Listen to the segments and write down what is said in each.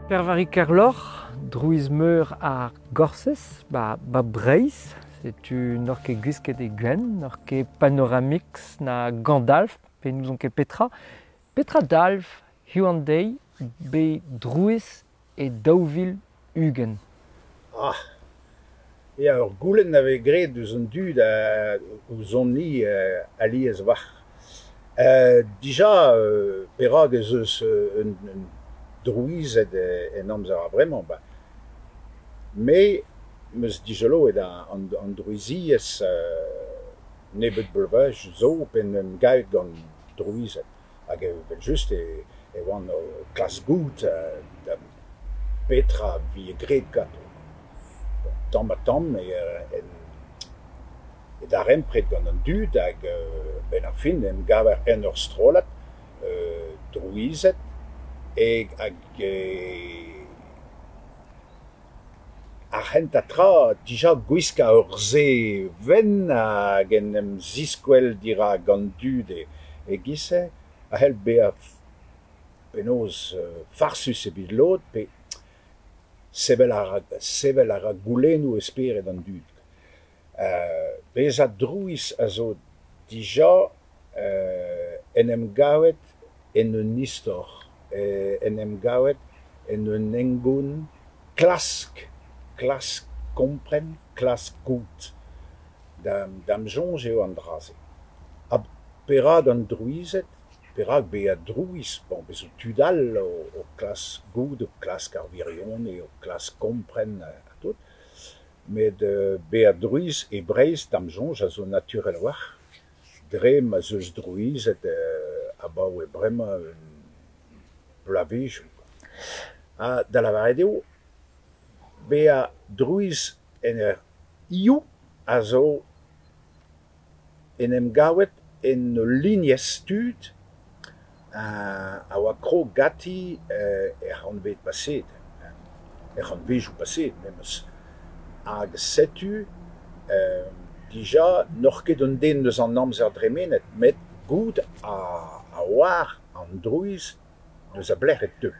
Pêr-Vari Kerloc'h, drouiz meur ar Gorsez, ba, ba Breizh. Setu n'oc'h ket gwisket e gwenn, n'oc'h ket Panoramix na Gandalf, pe n'ouzon ket petra. Petra dalv hiziv an deiz bet drouiz e 2020? Ah ya, ur goulenn a vez graet deus an dud ouzhon-ni alies a-walc'h. Dija perak ez eus un drouized en amzer a-vremañ ? Ba me 'm eus dizoloet an drouiziezh nebeut bloavezhioù zo p'en em gavet gant drouized hag evel-just e oan o klask goût da petra 'vije graet ganto. Tamm-ha-tamm e darempred gant an dud hag a-benn ar fin en em gaver en ur strollad drouized hag ar c'hentañ tra dija gwiskañ ur sae wenn hag en em ziskwel dirak an dud e-giz-se a c'hell bezañ penaos farsus evit lod pe sevel a ra sevel a ra goulennoù e spered an dud. Bezañ drouiz a zo dija en em gavet en un istor, en em gavet en un hengoun, klask, klask kompren, klask goût. Da'm soñj eo an dra-se. Ha perak an drouized ? Perak bezañ drouiz ? Bon, bez zo tud all o klask goût, o klask ar wirionez, o klask kompren ha tout. Met bezañ drouiz e Breizh da'm soñj a zo naturel a-walc'h dre ma'z eus drouized abaoe bremañ bloavezhioù. Ha da lavaret eo bezañ drouiz en ur hiziv a zo en em gavet en ul lignez tud a oa krog ganti er c'hantved paseet, er c'hantvedoù paseet memes. Hag setu dija n'oc'h ket un den eus an amzer dremenet met goût a oar an drouiz eus a belec'h e teu.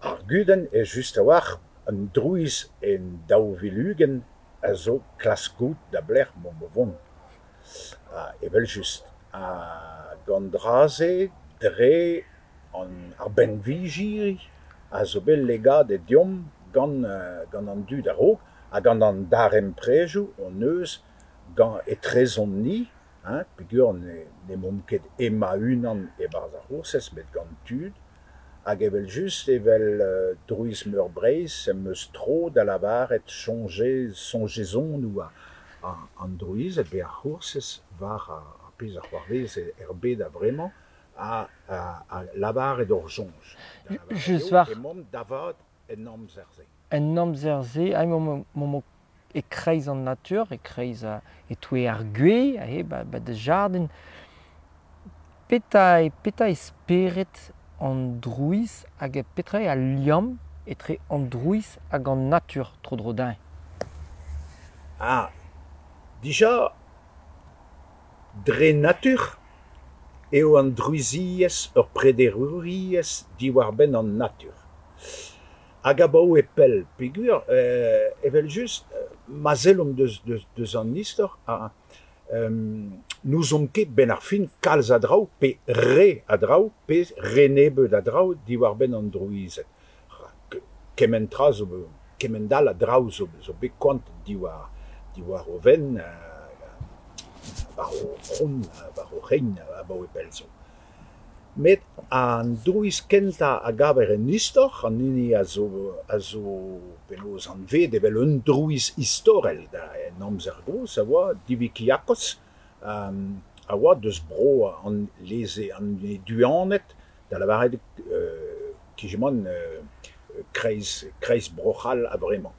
Ar gudenn eo just a-walc'h an drouiz en 2020 a zo klask goût da belec'h emaomp o vont. Evel-just hag an dra-se dre ar benviji a zo bet legadet deomp gant gant an dud a-raok ha gant an darempredoù hon eus gant etrezomp-ni, hein, peogwir n'emaomp ket hemañ-unan e-barzh ar C'hoursez met gant tud. Hag evel-just evel Drouiz Meur Breizh em eus tro da lavaret soñjezonoù an drouized pe ar C'hoursez war ar pezh a c'hoarvez er bed a-vremañ ha lavaret hor soñj. Just war Emaomp da vat en amzer-se. En amzer-se, emaomp e-kreiz an natur, e-kreiz e-touez ar gwez, aze ba da jardin. Petra petra eo spered an drouiz hag petra eo al liamm etre an drouiz hag an natur tro-dro dezhañ? Ah, dija dre natur eo an drouiziezh ur prederouriezh diwar-benn an natur. Hag abaoe pell peogwir evel-just ma sellomp deus an istor n'ouzomp ket 'benn ar fin kalz a draoù pe re a draoù pe re nebeut a draoù diwar-benn an drouized. Rak kement tra zo kement all a draoù zo bet koant diwar diwar o fenn war o c'hont, war o c'hein abaoe pell zo. Met an drouiz kentañ a gaver en istor, an hini a zo a zo penaos anvet evel un drouiz istorel en amzer gozh a oa Divikiakos, a oa deus bro an leze an Eduaned, da lavaret eo kreiz kreiz Bro-C'hall a-vremañ,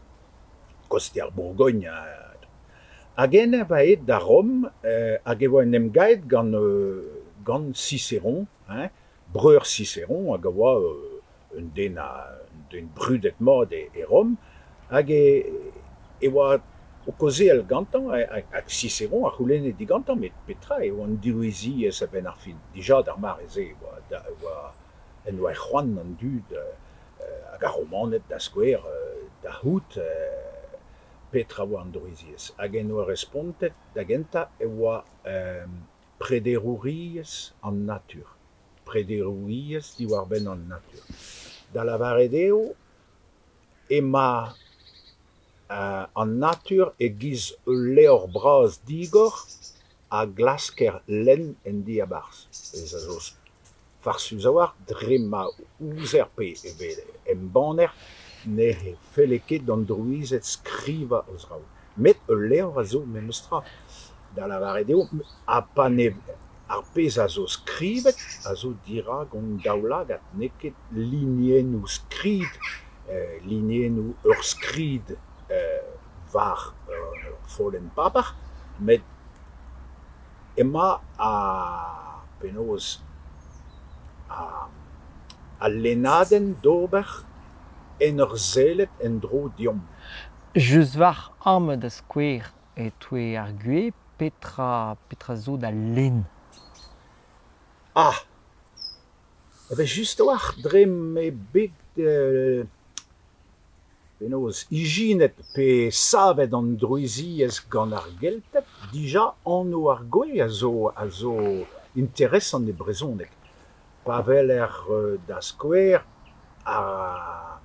koste ar Bourgogn. Hag eñ a oa aet da Rom hag e oa en em gaet gant gant Cicéron, hein, breur Cicéron hag a oa un den un den brudet-mat e Rom, hag e oa o kaozeal gantañ hag Cicéron a c'houlenne digantañ met petra eo an drouiziezh a-benn ar fin. Dija d'ar mare-se e oa en doa c'hoant an dud hag ar Romaned da skouer da c'hoût petra oa an drouiziezh. Hag en doa respontet da gentañ e oa prederouriezh an natur, prederouriezh diwar-benn an natur. Da lavaret eo emañ an natur e-giz ul levr bras digor a glasker lenn en diabarzh. Pezh a zo farsus a-walc'h dre ma ouzer pe evel embanner ne felle ket d'an drouized skrivañ o zraoù. Met ul levr a zo memes tra. Da lavaret eo ha pa ne ar pezh a zo skrivet a zo dirak hon daoulagad, n'eo ket linennoù skrid, linennoù ur skrid war ur follenn paper met emañ ar penaos al lennadenn d'ober en ur sellet en-dro deomp. Just war amañ da skouer e-touez ar gwez, petra petra zo da lenn? Ah ! Evel-just a-walc'h dre m'eo bet penaos ijinet pe savet an drouiziezh gant ar Gelted dija anv ar gwez a zo a zo interesant e brezhoneg. Pa weler da skouer ar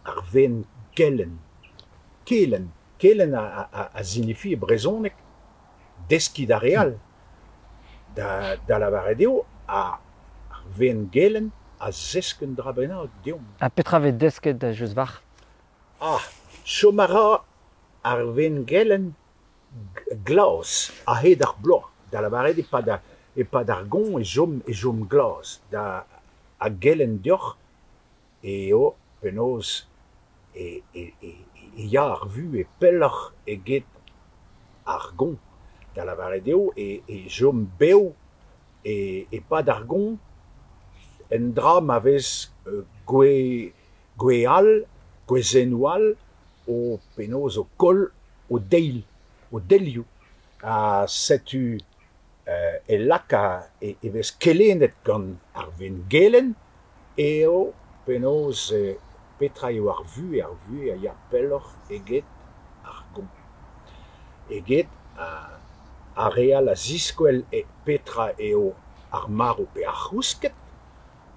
ar weenn kelenn, kelenn, kelenn a sinifi e brezhoneg deskiñ d'ar re all. Da lavaret eo ar weenn gelenn a zesk un dra bennak deomp. Ha petra 'vez desket da Josvarc'h? Ah, chom a ra ar weenn gelenn glas a-hed ar bloaz. Da lavaret eo e-pad e-pad ar goañv e chom e chom glas. Da a gelenn deoc'h eo penaos e e e ya ar vuhez pelloc'h eget ar goañv. Da lavaret eo e e chom bev e-pad ar goañv endra ma vez gwez gwez all, gwezennoù all o penaos o koll o deil, o delioù. Ha setu e laka e vez kelennet gant ar weenn gelenn eo penaos petra eo ar vuhez, ar vuhez a ya pelloc'h eget ar goañv, eget ar re all a ziskwel petra eo ar marv pe ar c'housked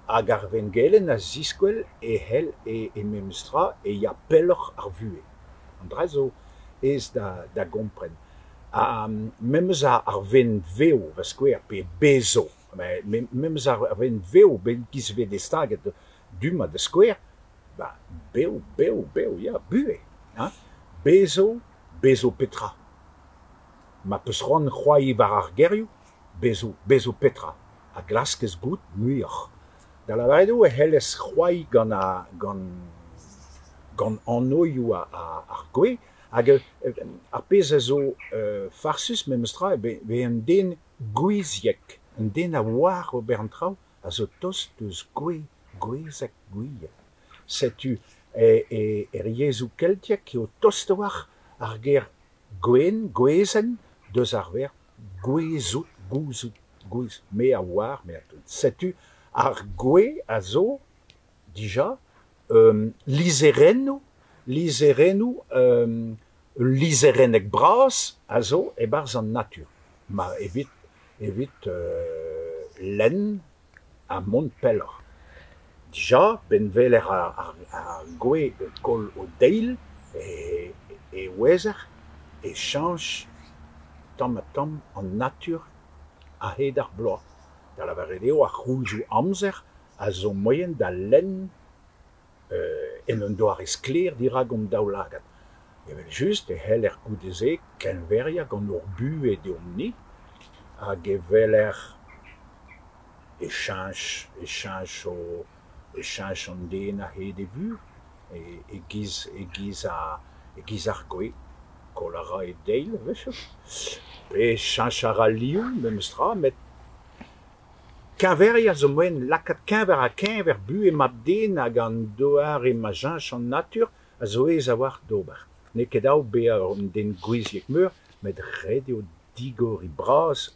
hag ar weenn gelenn a ziskwel e c'hell e memes tra e ya pelloc'h ar vuhez. An dra zo aes da gompren. Ha memes ar weenn vev da skouer pe bezv, memes ar weenn vev bet giz 'vez destaget du-mañ da skouer, ba bev, bev, bev, ya, buhez hein. Bezv, bezv petra? Ma 'peus c'hoant c'hoari war ar gerioù, bezv, bezv petra? A glaskez goût muioc'h. Da lavaret eo e c'hellez c'hoari gant ar gant gant anvioù ar gwez hag ar pezh a zo farsus memes tra eo bezañ un den gouiziek, un den a oar ober an traoù a zo tost eus gwez, gwezeg, gouiek. Setu er yezhoù keltiek eo tost a-walc'h ar ger gwenn, gwezenn deus ar verb gouezout, gouzout, gouez, me a oar, me a tout. Setu ar gwez a zo dija lizherennoù, lizherennoù, ul lizherenneg bras a zo e-barzh an natur. Ma evit evit lenn ha mont pelloc'h. Dija, 'benn weler ar gwez o koll o deil e ouezer e cheñch tamm-ha-tamm an natur a-hed ar bloaz. Da lavaret eo ar c'houlzoù amzer a zo moaien da lenn en un doare sklaer dirak hon daoulagad. Evel-just e c'heller goude-se keñveriañ gant hor buhez deomp-ni hag e weler e cheñch e cheñch e cheñch an den a-hed e vuhez e-giz e-giz e-giz ar gwez. Koll a ra e deil a-wechoù pe cheñch a ra liv memes tra met keñveriañ zo moaien lakaat keñver-ha-keñver buhez mab-den hag an doare ma cheñch an natur a zo aes a-walc'h d'ober. N'eo ket dav bezañ un den gouiziek-meur met ret eo digoriñ bras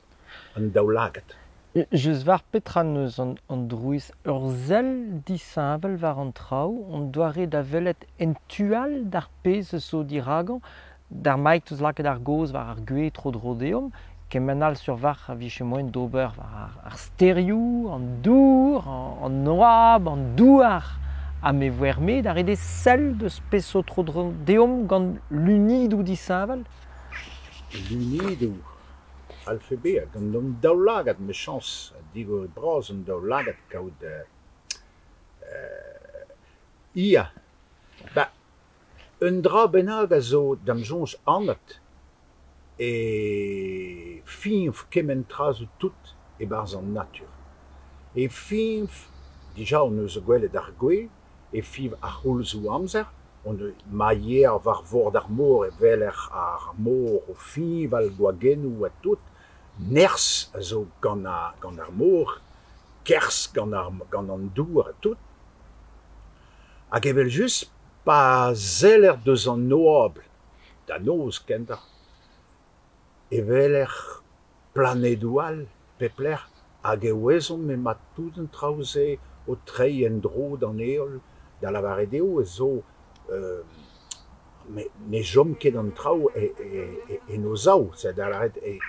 an daoulagad. Just war petra 'neus an drouiz ur sell disheñvel war an traoù, an doare da welet en tu all d'ar pezh zo diragañ. D'ar maik 'teus lakaet ar gaoz war ar gwez tro-dro deomp, kement all sur war a vije moaien d'ober war ar stêrioù, an dour, an oabl, an douar. Ha me voer-me da ret eo sell deus pezh zo tro-dro deomp gant lunidoù disheñvel. Lunidoù c'hallfe bezañ gant an daoulagad 'mechañs, digor bras an daoulagad kaout ya 'ba un dra bennak a zo da'm soñj anat e fiñv kement tra zo tout e-barzh an natur. E fiñv, dija hon eus gwelet ar gwez, e fiñv ar c'houlzoù amzer, ma yeer war vord ar mor e weler ar mor o fiñval gwagennoù ha tout, nerzh a zo gant ar mor, kerzh gant an dour ha tout. Hag evel-just pa seller deus an oabl da noz kentoc'h e weler planedoù all pep lec'h hag e ouezomp emañ tout an traoù-se o treiñ en-dro d'an heol, da lavaret eo ez zo ne chom ket an traoù en o sav, da lavaret eo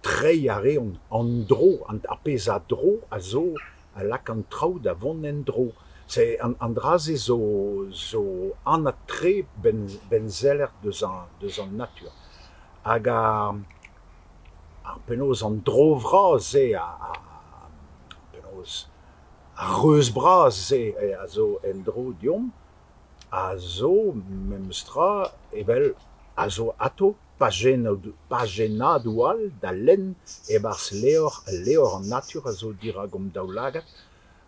treiñ a reont an dro, ar pezh a dro a zo a lak an traoù da vont en-dro. An dra-se zo anat-tre 'benn seller deus an natur. Hag ar penaos an dro vras-se penaos ar reuz bras-se a zo en-dro deomp a zo memes tra evel a zo atav pajennadoù all da lenn e-barzh levr al levr an natur a zo dirak hon daoulagad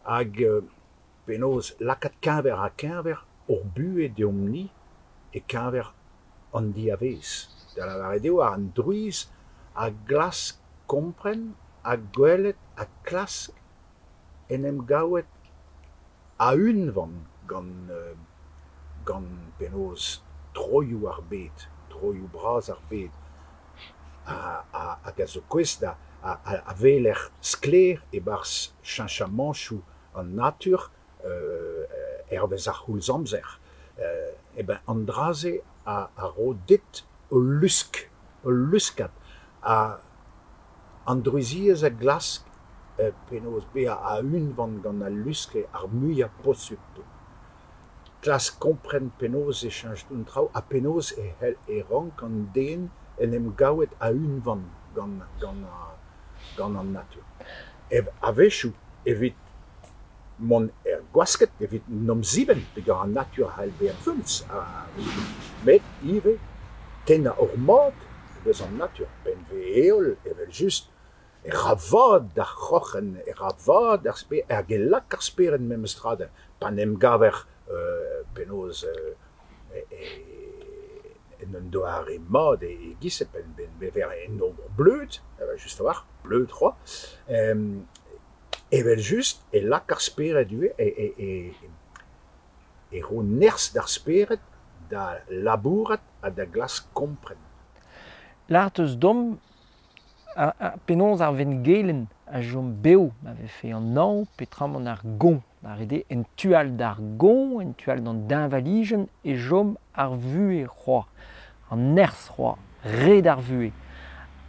hag penaos lakaat keñver-ha-keñver hor buhez deomp-ni e-keñver an diavaez. Da lavaret eo an drouiz a glask kompren ha gwelet ha klask en em gavet a-unvan gant penaos troioù ar bed, troioù bras ar bed hag a zo gouest da a weler sklaer e-barzh cheñchamantoù an natur hervez ar c'houlz amzer. Eh ben an dra-se a ro dit ul lusk, ul luskad. Ha an drouiziezh a glask penaos bezañ a-unvan gant al lusk ar muiañ posupl. Klask kompren penaos e cheñch an traoù ha penaos e c'hell e rank an den en em gavet a-unvan gant an natur. A-wechoù evit mont er gwasked, evit 'n em zibenn peogwir an natur a c'hall bezañ feuls met ivez tennañ ur mad eus an natur. P'en vez heol evel-just e ra vad d'ar c'hroc'hen, e ra vad d'ar spered hag e lak ar spered memes tra pa 'n em gaver penaos en un doare mat e-giz-se pa vezer en hor bleud, just a-walc'h, bleud c'hoazh, evel-just e lak ar spered ivez e ro nerzh d'ar spered da labourat ha da glask kompren. Lâret 'teus deomp penaos ar wenngelenn a chom bev ma vefe an hañv peotramant ar goañv. Da ret eo en tu all d'ar goañv, en tu all d'an deñvalijenn e chom ar vuhez c'hoazh, an nerzh c'hoazh, red ar vuhez.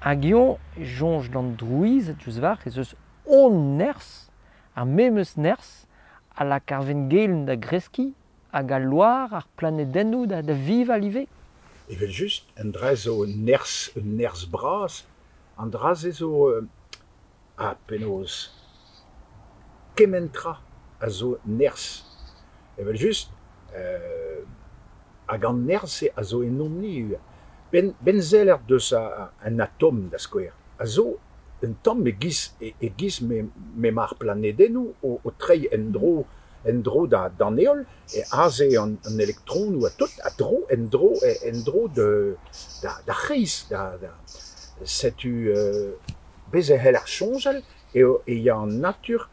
Hag eñ e soñj d'an drouized diouzh war ez eus hon nerzh, ar memes nerzh a lak ar wenngelenn da greskiñ hag al loar, ar planedennoù da vival ivez. Evel-just, un dra zo un nerzh, un nerzh bras, an dra-se zo ha penaos kement tra a zo nerzh. Evel-just, hag an nerzh-se a zo ennomp-ni ivez. 'Benn seller deus an atom da skouer, a zo un tamm e-giz e-giz m'emañ ar planedennoù o treiñ en-dro en-dro d'an heol, aze an elektronoù ha tout a dro en-dro en-dro d'ar c'hreiz. Setu bez' e c'heller soñjal eo e ya an natur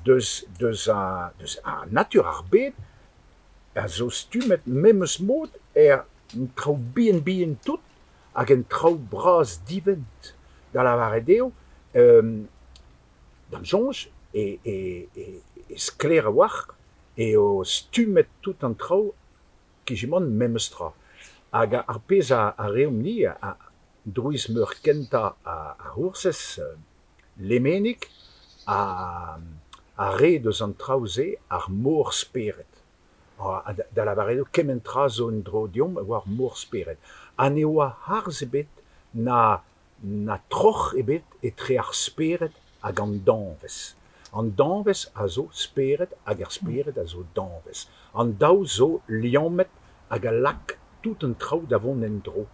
deus deus an natur ar bed a zo stummet memes mod er traoù bihan-bihan tout hag en traoù bras divent. Da lavaret eo D'am soñj e e e sklaer a-walc'h eo stummet tout an traoù kizimant memes tra. Hag ar pezh a reomp-ni, Drouiz Meur kentañ ar C'hoursez, Lemenig, a rae deus an traoù-se ar mor-spered. Da lavaret eo kement tra zo en-dro deomp e oa ar mor-spered. Ha ne oa harz ebet na na troc'h ebet etre ar spered hag an danvez. An danvez a zo spered hag ar spered a zo danvez. An daou zo liammet hag a lak tout an traoù da vont en-dro.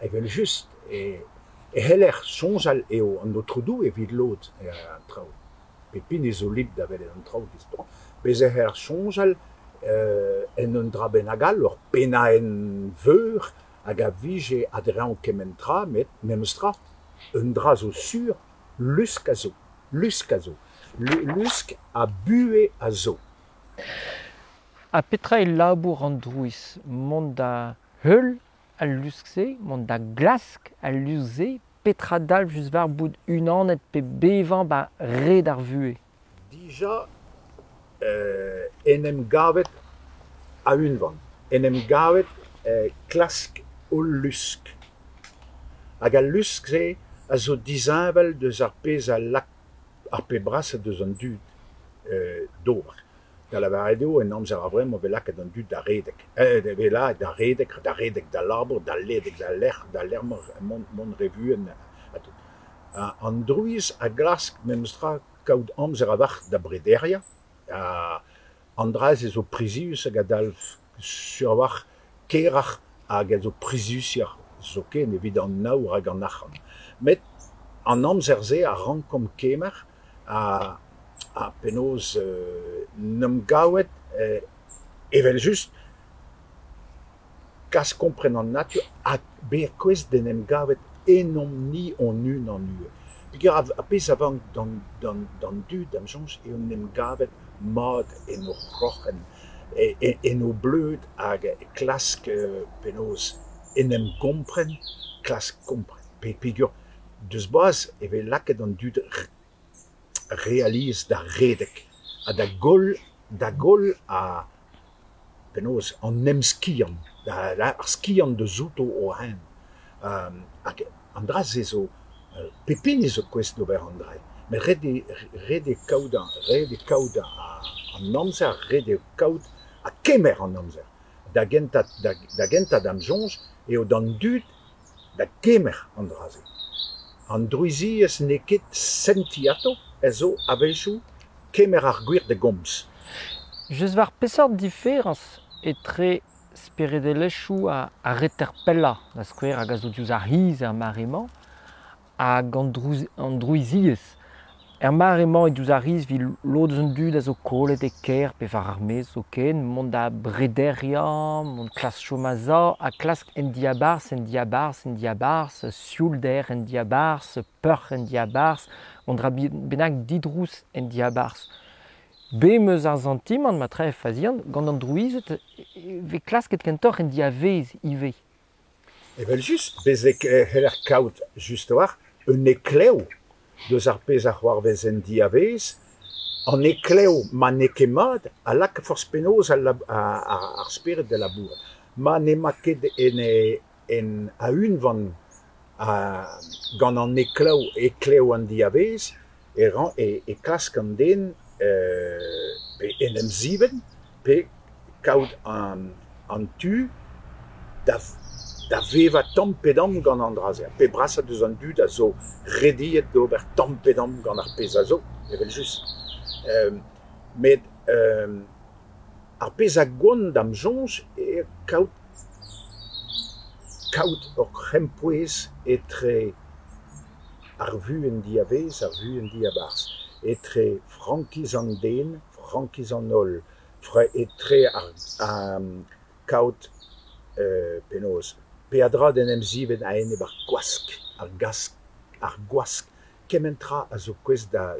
Evel-just e c'heller soñjal eo an Aotrou Doue evit lod an traoù. Pep hini zo libr da welet an traoù distro. Bez' e c'heller soñjal en un dra bennak all, ur pennaenn veur hag a vije a-dreñv kement tra, met memes tra, un dra zo sur, lusk a zo, lusk a zo, lusk ha buhez a zo. Ha petra eo labour an drouiz? Mont da heul al lusk-se, mont da glask al lusk-se, petra dalv just war bout unanet pe bevañ ba red ar vuhez? Dija en em gavet a-unvan, en em gavet klask hol lusk. Hag al lusk-se a zo disheñvel deus ar pezh a lak ar pep brasañ deus an dud d'ober. Da lavaret eo, en amzer a-vremañ e vez lakaet an dud da redek. E vez lakaet da redek, da redek d'al labour, da redek d'al lec'h, d'al lec'h-mañ, mont re vuan ha tout. An drouiz a glask memestra kaout amzer a-walc'h da brederiañ. An dra-se zo prizius hag a dalv sur a-walc'h keroc'h hag a zo priziusoc'h zoken evit an aour hag an arc'hant. Met an amzer-se a rankomp kemer ha penaos 'n em gavet evel-just kas kompren an natur ha bezañ gouest d'en em gavet ennomp-ni hon-unan ivez. Peogwir ar pezh a vank d'an dud, da'm soñj, eo en em gavet mat en o c'hroc'hen, en o bleud hag klask penaos en em gompren, klask kompren. Peogwir deus boaz e vez lakaet an dud re alies da redek ha da goll da goll a penaos an emskiant, ar skiant deus outo o-unan. Hag an dra-se zo pep hini zo gouest d'ober an dra. Met ret eo ret eo kaout ret eo kaout an amzer, ret eo kaout ha kemer an amzer. Da gentañ da gentañ da'm soñj eo d'an dud da gemer an dra-se. An drouiziezh n'eo ket sentiñ atav, ez zo a-wechoù kemer ar gwir da gomz. Just war peseurt diferañs etre speredelezhioù ar reter pellañ, da skouer, hag a zo diouzh ar c'hiz er mare-mañ, hag an drouiziezh. Er mare-mañ eo diouzh ar c'hiz evit lod eus an dud a zo kollet e kêr pe war ar maez zoken, mont da brederiañ, mont klask chom a-sav ha klask en diabarzh, en diabarzh, en diabarzh, sioulder en diabarzh, peoc'h en diabarzh, un dra bennak didrouz en diabarzh. Bet 'm eus ar santimant, ma tre fazian, gant an drouized e vez klasket kentoc'h en diavaez ivez. Evel-just, bez' e c'heller kaout just a-walc'h un heklev deus ar pezh a c'hoarvez en diavaez. An heklev ma n'eo ket mat a lak forzh penaos ar spered da labourat. Ma n'emañ ket en a-unvan gant an heklev, heklev an diavaez, e klask an den pe en em zibenn pe kaout an tu da vevañ tamm pe damm gant an dra-se. Ar pep brasañ deus an dud a zo rediet d'ober tamm pe damm gant ar pezh a zo, evel-just. Met ar pezh a gont da'm soñj eo kaout kaout ur c'hempouez etre ar vuhez en diavaez, ar vuhez en diabarzh, etre frankiz an den, frankiz an holl, etre ar kaout penaos peadra d'en em zibenn a-enep ar gwask, ar gask, ar gwask. Kement tra a zo gouest da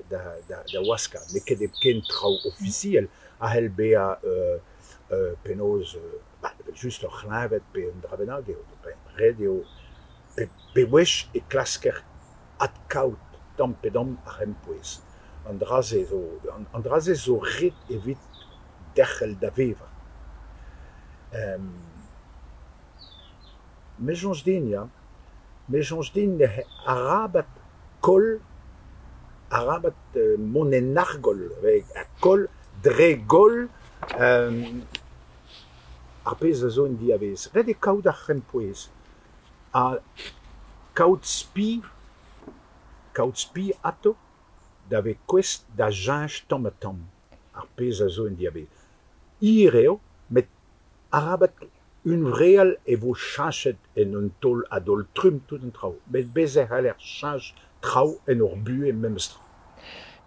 waskañ. N'eo ket hepken traoù ofisiel a c'hell bezañ penaos just ur c'hleñved pe un dra bennak eo. Ret eo bewech e klasker adkaout tamm pe damm ar c'hempouez. An dra-se zo an dra-se zo ret evit derc'hel da vevañ. Me soñj din ya, me soñj din arabat koll, arabat mont en argoll koll dre goll ar pezh a zo en diavaez. Ret eo kaout ar c'hempouez ha kaout spi, kaout spi atav da vezañ gouest da cheñch tamm-ha-tamm ar pezh a zo en diavaez. Hir eo met arabat hunvreal e vo cheñchet en un taol a-daol-trumm tout an traoù met bez' e c'haller cheñch traoù en hor buhez memes tra.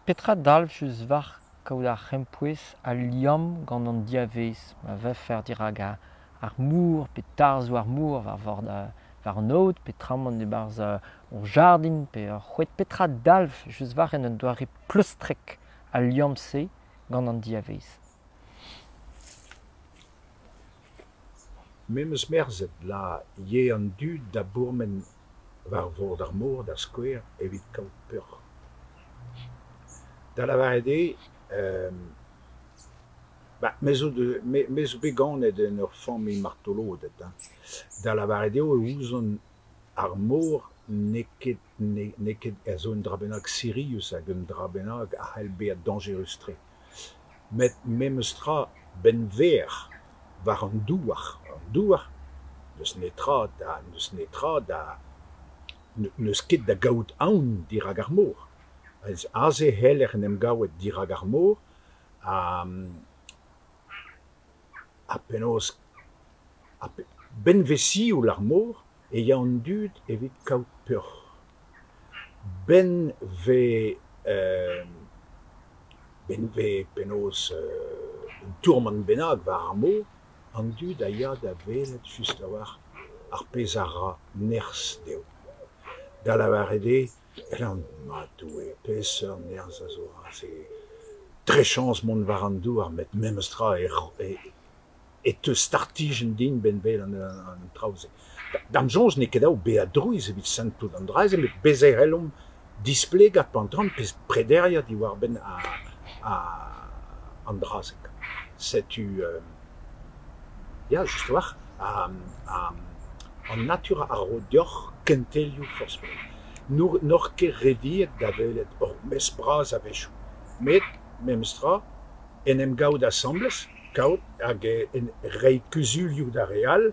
Petra dalv just war kaout ar c'hempouez al liamm gant an diavaez ma vefer dirak ar mor pe tarzhoù ar mor war vord war an aod peotramant e-barzh ur jardin pe ur c'hoad. Petra dalv just war en un doare pleustrek al liamm-se gant an diavaez? Me 'm eus merzet la ya an dud da bourmen war vord ar mor da skouer evit kaout peoc'h. Da lavaret eo me zo me zo bet ganet en ur familh martoloded hein, da lavaret eo e ouzon ar mor n'eo ket n'eo ket a zo un dra bennak sirius hag un dra bennak a c'hell bezañ dañjerus-tre. Met memes tra 'benn 'ver war an douar, an douar n'eus netra da n'eus netra da n'eus ket da gaout aon dirak ar mor. Aze e c'heller en em gaout dirak ar mor ha ha penaos 'benn 'vez sioul ar mor e ya an dud evit kaout peoc'h. 'Benn 'vez 'benn 'vez penaos un tourmant bennak war ar mor, an dud a ya da welet just a-walc'h ar pezh a ra nerzh dezho. Da lavaret eo ma Doue, peseurt nerzh a zo aze, dre chañs mont war an douar met memes tra e teu startijenn din 'benn welan an traoù-se. Da'm soñj n'eo ket dav bezañ drouiz evit santout an dra-se met bez' e c'hellomp displegañ peotramant pe prederiañ diwar-benn an dra-se. Setu ya just a-walc'h an natur a ro deoc'h kentelioù forzh penaos. N'oc'h ket rediet da welet ur mestr bras a-wechoù met memes tra en em gaout asambles, kaout hag reiñ kuzulioù d'ar re all,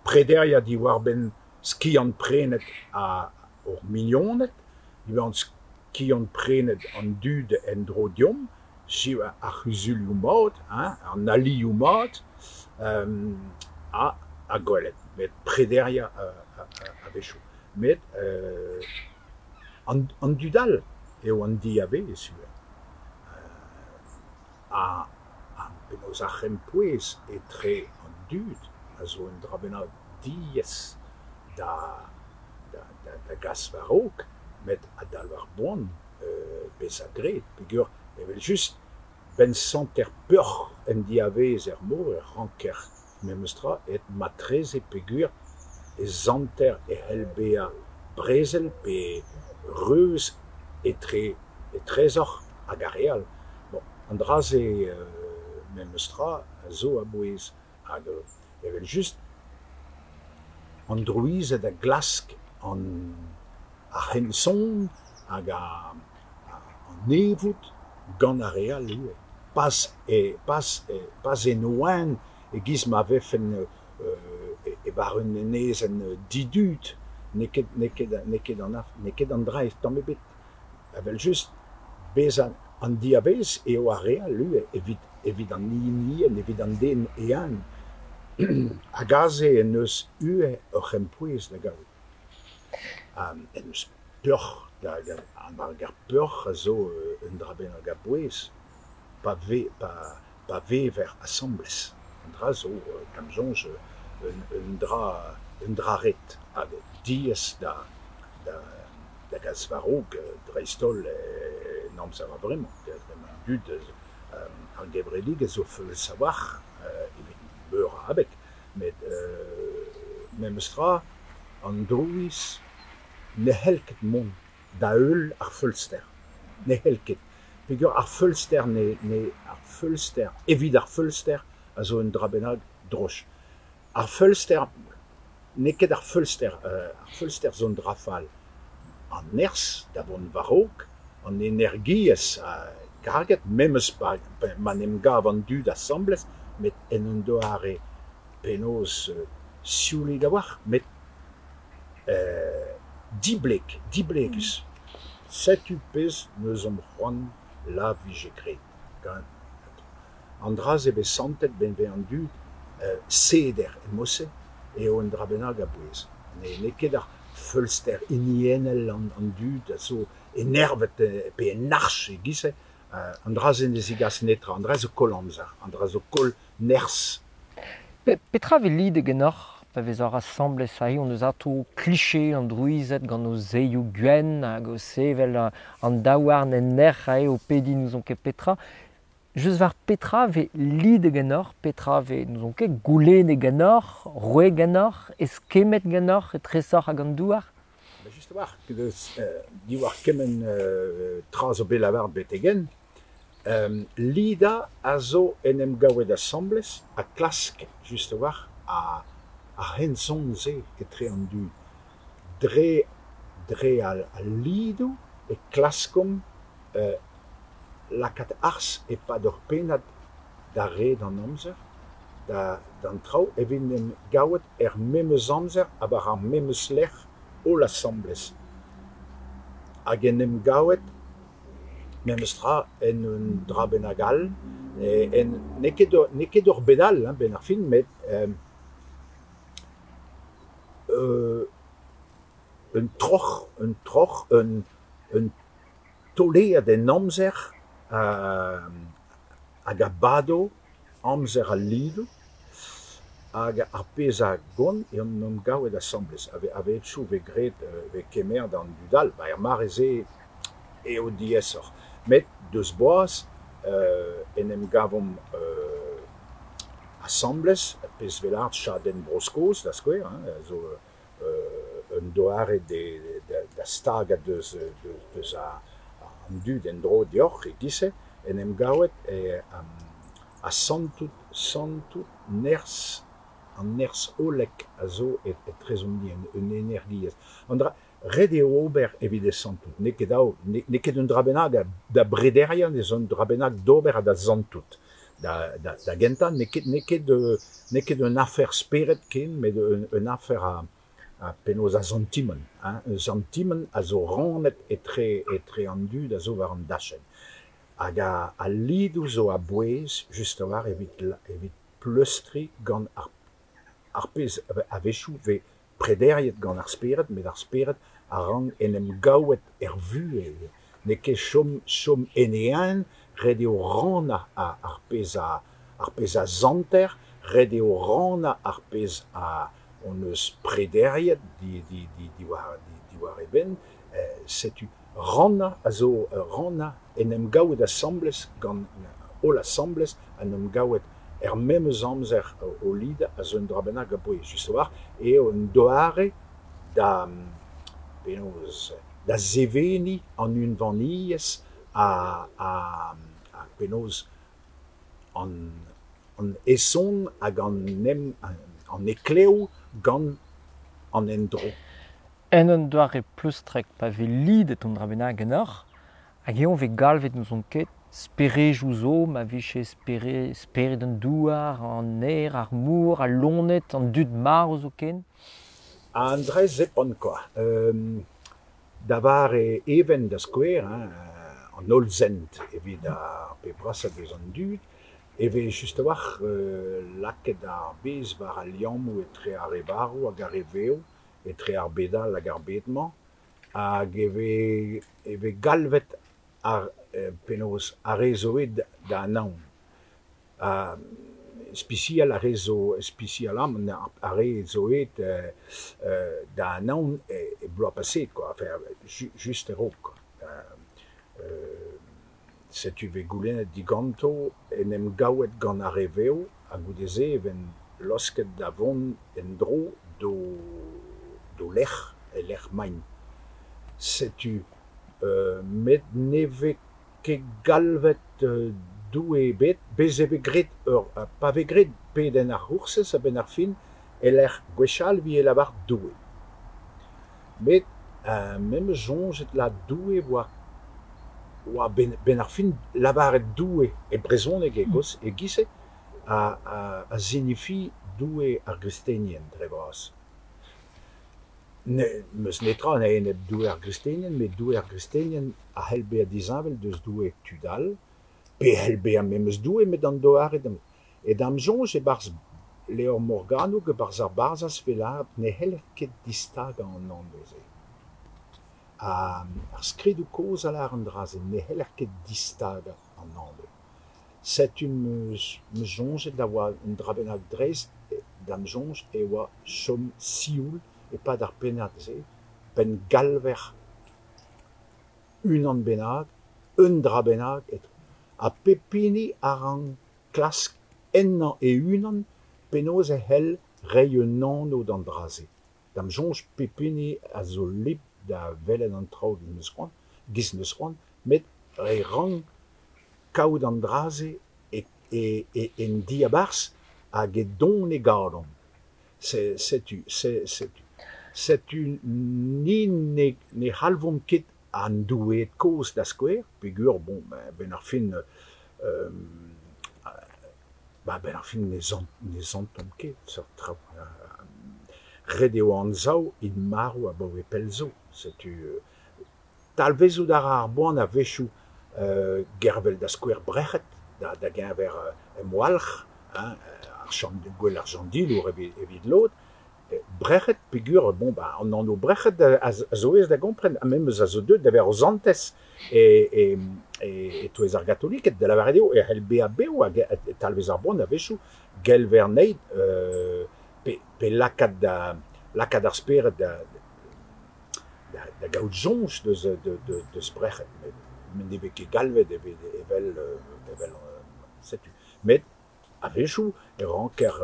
prederiañ diwar-benn skiant-prenet hor mignoned, diwar skiant-prenet an dud en-dro deomp, ar c'huzulioù mat, hein, an alioù mat, ha gwelet, met prederiañ a-wechoù. Met an dud all eo an diavaez ivez. Ha penaos ar c'hempouez etre an dud a zo un dra bennak diaes da gas war-raok, met a-dalv ar boan bezañ graet peogwir evel-just 'benn santer peoc'h en diavaez er mor e ranker memes tra et matreze peogwir e santer e c'hell bezañ brezel pe reuz etre etrezoc'h hag ar re all. Bon, an dra-se memes tra a zo a-bouez hag evel-just an drouized a glask an ar c'henson hag an evoud gant ar re all ivez. Pas e pas pas en o hent e-giz ma vefen e-barzh un enezenn didud, n'eo ket n'eo ket n'eo ket an n'eo ket an dra tamm ebet. Evel-just bezañ an diavaez eo ar re all ivez evit evit an hinienn, evit an den e-unan. Hag aze en deus ivez ur c'hempouez da gaout. En deus peoc'h da hag ar peoc'h a zo un dra bennak a-bouez pa vez pa vever asambles. An dra zo, da'm soñj, un dra un dra ret hag diaes da da gas war-raok dreist-holl en amzer a-vremañ. An dud ar gevredigezh zo feuls a-walc'h evit meur a abeg met memes tra an drouiz ne c'hell ket mont da heul ar feulster. Ne c'hell ket. Peogwir ar feulster ne, ne, ar feulster evit ar feulster a zo un dra bennak droch. Ar feulster n'eo ket ar feulster, ar feulster zo un dra fall. An nerzh da vont war-raok, an energiezh karget, memes pa ma 'n em gav an dud asambles, met en un doare penaos sioulik a-walc'h, met dibleg, diblegus. Setu pezh 'neus-omp c'hoant la vije graet. Gant an dra-se 'vez santet 'benn vez an dud seder e mod-se eo un dra bennak a-bouez. N'eo ket ar feulster hiniennel an dud a zo enervet pe en arch e-giz-se. An dra-se ne zegas netra, an dra zo koll amzer, an dra zo koll nerzh. Petra 'vez lidet ganeoc'h pa vezoc'h asambles aze hon eus atav kliché an drouized gant o zeioù gwenn hag o sevel an daouarn en nec'h aze o pediñ n'ouzon ket petra. Just war petra 'vez lidet ganeoc'h, petra 'vez n'ouzon ket goulennet ganeoc'h, roet ganeoc'h, eskemmet ganeoc'h etresoc'h hag an douar? Just a-walc'h, diwar kement tra zo bet lavaret betek-henn, lidañ a zo en em gavet asambles ha klask just a-walc'h ar c'henson-se etre an dud. Dre dre al lidoù e klaskomp lakaat arz e-pad ur pennad da red an amzer, d'an traoù evit en em gaout er memes amzer ha war ar memes lec'h holl asambles. Hag en em gavet memes tra en un dra bennak all, n'eo ket n'eo ket ur bed all 'benn ar fin, met un troc'h, un troc'h, un tolead en amzer hag a bado amzer al lidoù hag ar pezh a gont eo en em gavet asambles. A-wechoù 'vez graet 'vez kemeret an dud all, ba er mare-se eo diaesoc'h. Met deus boaz en em gavomp asambles, ar pezh 'vez lâret chadenn Bro-Skos da skouer, hein, a zo un doare da stagañ deus deus an dud en-dro deoc'h e-giz-se, en em gavet ha santout santout nerzh an nerzh hollek a zo etrezomp-ni, un energiezh. An dra ret eo ober evit e santout, n'eo ket dav, n'eo ket un dra bennak da brederiañ, ez un dra bennak d'ober ha da santout. Da da gentañ n'eo ket n'eo ket n'eo ket un afer spered ken, met un afer a ha penaos a santimant, hein, un santimant a zo rannet etre etre an dud a zo war an dachenn. Hag al lidoù zo a-bouez just a-walc'h evit evit pleustriñ gant ar ar pezh a-wechoù 'vez prederiet gant ar spered, met ar spered a rank en em gaouet er vuhez. N'eo ket chom chom en e eeun, ret eo rannañ ar pezh a ar pezh a santer, ret eo rannañ ar pezh a hon eus prederiet diwar diwar e benn. Setu rannañ a zo rannañ en em gaout asambles gant holl asambles, en em gaout er memes amzer o lidañ a zo un dra bennak a-bouez. Just a-walc'h eo un doare da penaos da seveniñ an unvaniezh ha ha penaos an an heson hag an an heklev gant an endro. En un doare pleustrek pa vez lidet un dra bennak ganeoc'h, hag eñ 'vez galvet n'ouzon ket sperejoù zo, ma vije spered an douar, an aer, ar mor, al loened, an dud marv zoken. An dra zepant kwa. Da vare Even da skouer, hein, an Hollsent evit ar pep brasañ deus an dud, e vez just a-walc'h lakaet ar bez war al liammoù etre ar re varv hag ar re vev, etre ar bed all hag ar bed-mañ, hag e vez e vez galvet ar penaos ar re zo aet da anaon. Ha ispisial ar re zo ispisialamant ar re zo aet da anaon e bloaz paseet kwa, enfin just a-raok kwa. Setu 'vez goulennet diganto en em gaouet gant ar re vev ha goude-se e vent laosket da vont en-dro d'o d'o lec'h e-lec'h 'maint. Setu Met ne vez ket galvet Doue ebet, bez' e vez graet ur pa vez graet pedenn ar C'hoursez a-benn ar fin e-lec'h gwechall e vije lavaret Doue. Met me 'm eus soñjet lâret Doue oa oa 'benn ar fin lavaret Doue e brezhoneg e-giz-se a sinifi Doue ar gristenien dre vras. N'eus netra a-enep Doue ar gristenien met Doue ar gristenien a c'hell bezañ disheñvel deus Doue tud all pe e c'hell bezañ memes Doue met an doare da E da'm soñj e-barzh levr Morgannwg e-barzh ar Barzhaz 'vez lâret ne c'heller ket distagañ an anv-se. Ar skridoù kozh a lâr an dra-se, ne c'heller ket distagañ an anv. Setu 'm eus soñjet da oa un dra bennak dreist, da'm soñj e oa chom sioul e-pad ar pennad-se, p'en galver unan bennak, un dra bennak, ha pep hini a rank klask ennañ e-unan penaos e c'hell reiñ un anv d'an dra-se. Da'm soñj pep hini a zo libr da welet an traoù giz 'neus c'hoant, met e rank kaout an dra-se en diabarzh hag e don e galon. Setu setu ni ne c'halvomp ket an doueed kozh da skouer peogwir bon a-benn ar fin a-benn ar fin ne santomp ket seurt traoù. Ret eo anzav int marv abaoe pell zo. Setu talvezout a ra ar boan a-wechoù gervel da skouer Brec'hed da geñver emwalc'h, hein, gouel ar Jandilour evit lod. Brec'hed peogwir bon ba an anv Brec'hed a zo aes da gompren ha memes a zo deuet da vezañ ur santez e-touez ar gatoliked, da lavaret eo e c'hell bezañ bev hag e talvez ar boan a-wechoù gelver anezhi pe lakaat da lakaat ar spered da da gaout soñj deus deus Brec'hed met ne vez ket galvet evel evel setu met a-wechoù e ranker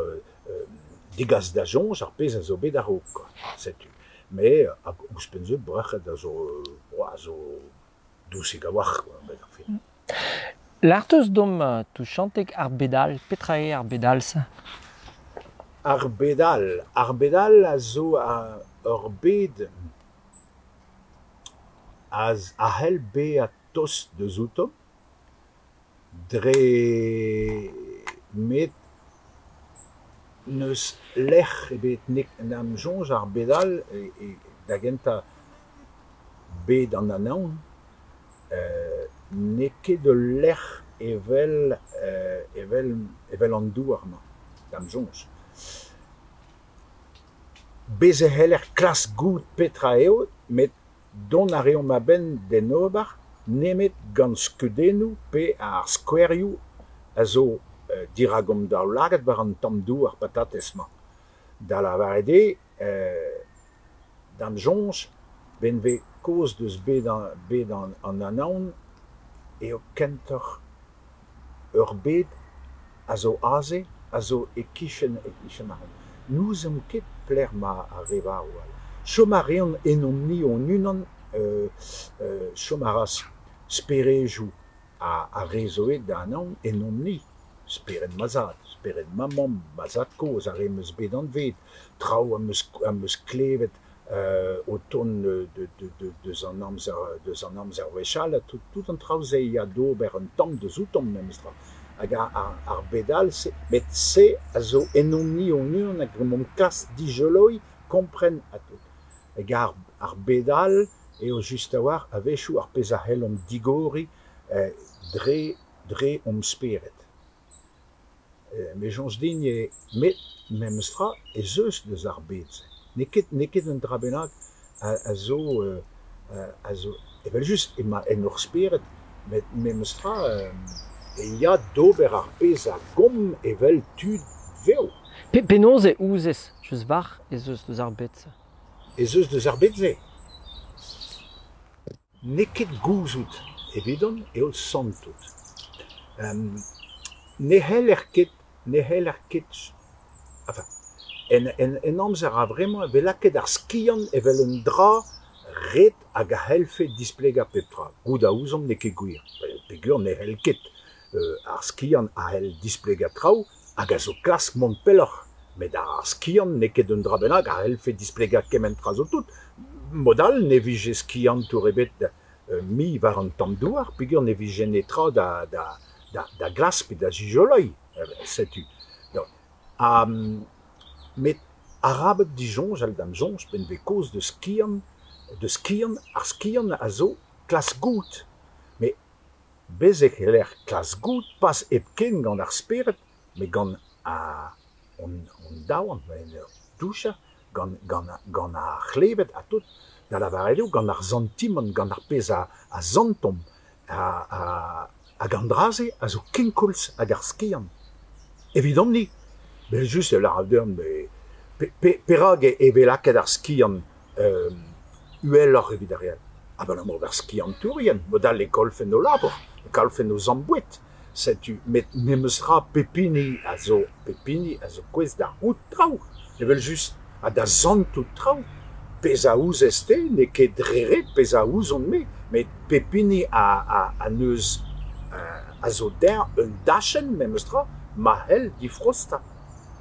degas da soñj ar pezh a zo bet a-raok kwa, setu. Met hag ouzhpenn-se Brec'hed a zo a zo dousik a-walc'h kwa a-benn ar fin. Lâr 'teus deomp touchantek ar bed all, petra eo ar bed all-se? Ar bed all, ar bed all a zo ur bed a c'hell bezañ tost deus outo dre met n'eus lec'h ebet da'm soñj ar bed all da gentañ bed an Anaon n'eo ket ul lec'h evel evel evel an douar-mañ da'm soñj. Bez' e c'heller klask goût petra eo met dont a reomp a-benn d'en ober nemet gant skeudennoù pe ar skouerioù a zo dirak hon daoulagad war an tamm douar patatez-mañ. Da lavaret eo, da'm soñj, 'benn 'vez kaoz deus bed bed an Anaon eo kentoc'h ur bed a zo aze, a zo e-kichen e-kichen ac'hanomp. N'ouzomp ket pelec'h emañ ar re varv all. Chom a reont ennomp-ni hon-unan, chom a ra sperejoù ar re zo aet da Anaon ennomp-ni. Spered ma zad, spered ma mamm, ma zad-kozh, ar re 'm eus bet anvet, traoù am eus am eus klevet o tont deus an amzer deus an amzer wechall ha tout tout an traoù-se ya d'ober un tamm deus outomp memestra. Hag ar bed all-se, met se a zo ennomp-ni hon-unan hag emaomp klask dijoloiñ, kompren ha tout. Hag ar bed all eo just a-walc'h a-wechoù ar pezh a c'hellomp digoriñ dre dre hon spered. Me soñj din eo met memestra ez eus deus ar bed-se. N'eo ket n'eo ket un dra bennak a zo a zo evel-just emañ en hor spered met memestra e ya d'ober ar pezh a gomp evel tud vev. Penaos e ouzez, just war ez eus deus ar bed-se? Ez eus deus ar bed-se? N'eo ket gouzout evidon eo santout. Ne c'heller ket ne c'heller ket enfin en en amzer a-vremañ e vez lakaet ar skiant evel un dra ret hag a c'hellfe displegañ pep tra. Goût a ouzomp n'eo ket gwir, peogwir ne c'hell ket. Ar skiant a c'hell displegañ traoù hag a zo klask mont pelloc'h, met ar skiant n'eo ket un dra bennak a c'hellfe displegañ kement tra zo tout. Mod all ne vije skiantour ebet mui war an tamm douar peogwir ne vije netra da glask pe da zijoleiñ. Setu. Met arabat disoñjal da'm soñj p'en vez kaoz deus skiant, deus skiant, ar skiant a zo klask goût. Met bez' e c'heller klask goût pas hepken gant ar spered met gant hon daouarn, en ur douchañ, gant ar c'hleved ha tout, da lavaret eo gant ar santimant, gant ar pezh a santomp hag an dra-se a zo kenkoulz hag ar skiant. Evidomp-ni, evel-just e lârar deomp perak e vez lakaet ar skiant uheloc'h evit ar re all? Abalamour d'ar skiantourien, mod-all e kollfent o labour, e kollfent o zamm boued. Setu, met memes tra pep hini a zo pep hini a zo gouest da c'hoût traoù, evel-just, ha da santout traoù. Pezh a ouzez-te n'eo ket dre ret pezh a ouzon-me, met pep hini a neus a zo dezhañ un dachenn memes tra ma c'hell difraostañ,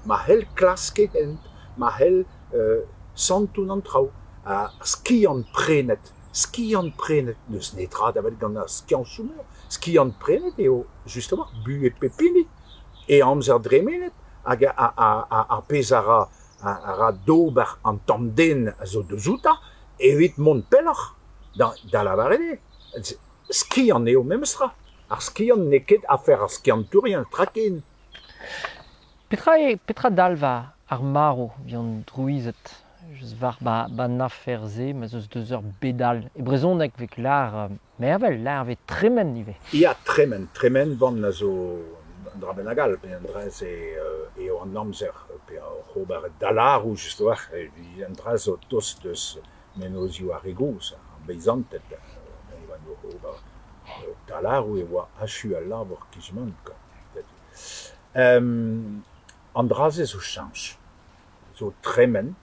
ma c'hell klask e hent, ma c'hell santout an traoù. Ha skiant-prenet, skiant-prenet, n'eus netra da welet gant ar skiantoù-meur. Skiant-prenet eo just a-walc'h buhez pep hini, e amzer dremenet hag ar pezh a ra a ra d'ober an tamm den a zo deus outañ evit mont pelloc'h da lavaret eo. Skiant eo memes tra. Ar skiant n'eo ket afer ar skiantourien, tra ken. Petra eo, petra dalv ar marv evit an drouized? Just war 'ba 'n afer-se ma 'z eus deus ur bed all. E brezhoneg 'vez lâr mervel, lâr 'vez tremen ivez. Ya, tremen. Tremenvan a zo un dra bennak all, pe an dra-se eo an amzer, pe oc'h ober dalaroù just a-walc'h, an dra zo tost deus mennozhioù ar re gozh, ar beizanted, e oant oc'h ober dalaroù e oa achu al labour kizh-man kwa. An dra-se zo cheñch, zo tremen,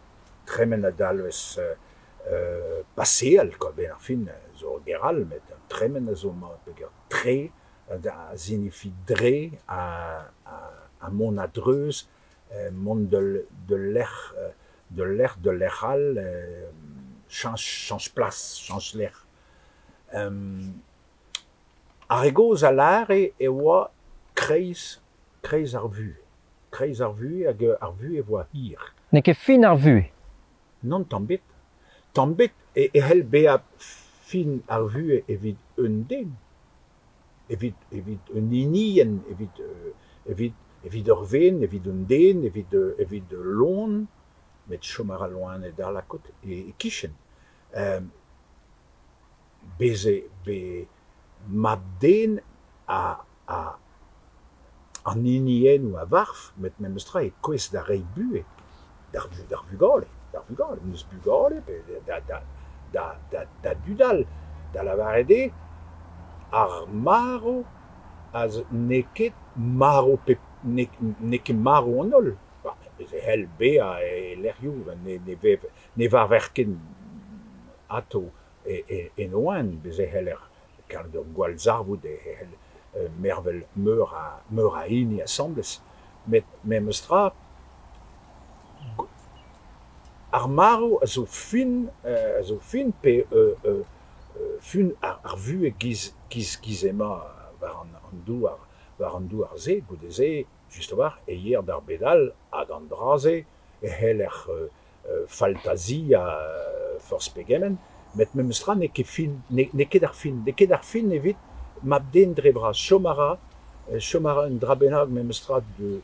tremen a dalvez paseal kwa, a-benn ar fin zo ur ger all met tremen a zo mat peogwir tre a sinifi dre ha mont a-dreuz, mont d'ul lec'h d'ul lec'h d'ul lec'h all, cheñch cheñch plas, cheñch lec'h. Ar re gozh a lâre e oa kreiz kreiz ar vuhez, kreiz ar vuhez hag ar vuhez e oa hir. N'eo ket fin ar vuhez. Nann tamm ebet. Tamm ebet e c'hell bezañ fin ar vuhez evit un den, evit evit un hinienn, evit evit evit ur ven, evit un den, evit evit ul loen, met chom a ra loened all a-kot e-kichen. Bez' eo bez mab-den a a an hiniennoù a varv met memes tra e kouezh da reiñ buhez d'ar d'ar vugale, d'ar vugale, n'eus bugale pe da da da da da dud all. Da lavaret eo ar marv a zo n'eo ket marv pep n'eo ket marv an holl. Bez' e c'hell bezañ e lec'hioù ne ne vev ne varver ket atav en o oan. Bez' e c'heller kaout ur gwallzarvoud e c'hell mervel meur a meur a hini asambles. Met memes tra ar marv a zo fin a zo fin pe fin ar vuhez giz giz giz emañ war an douar war an douar-se. Goude-se just a-walc'h e yeer d'ar bed all hag an dra-se e c'heller faltaziañ forzh pegement met memes tra n'eo ket fin n'eo ket ar fin n'eo ket ar fin evit mab-den dre vras. Chom a ra chom a ra un dra bennak memes tra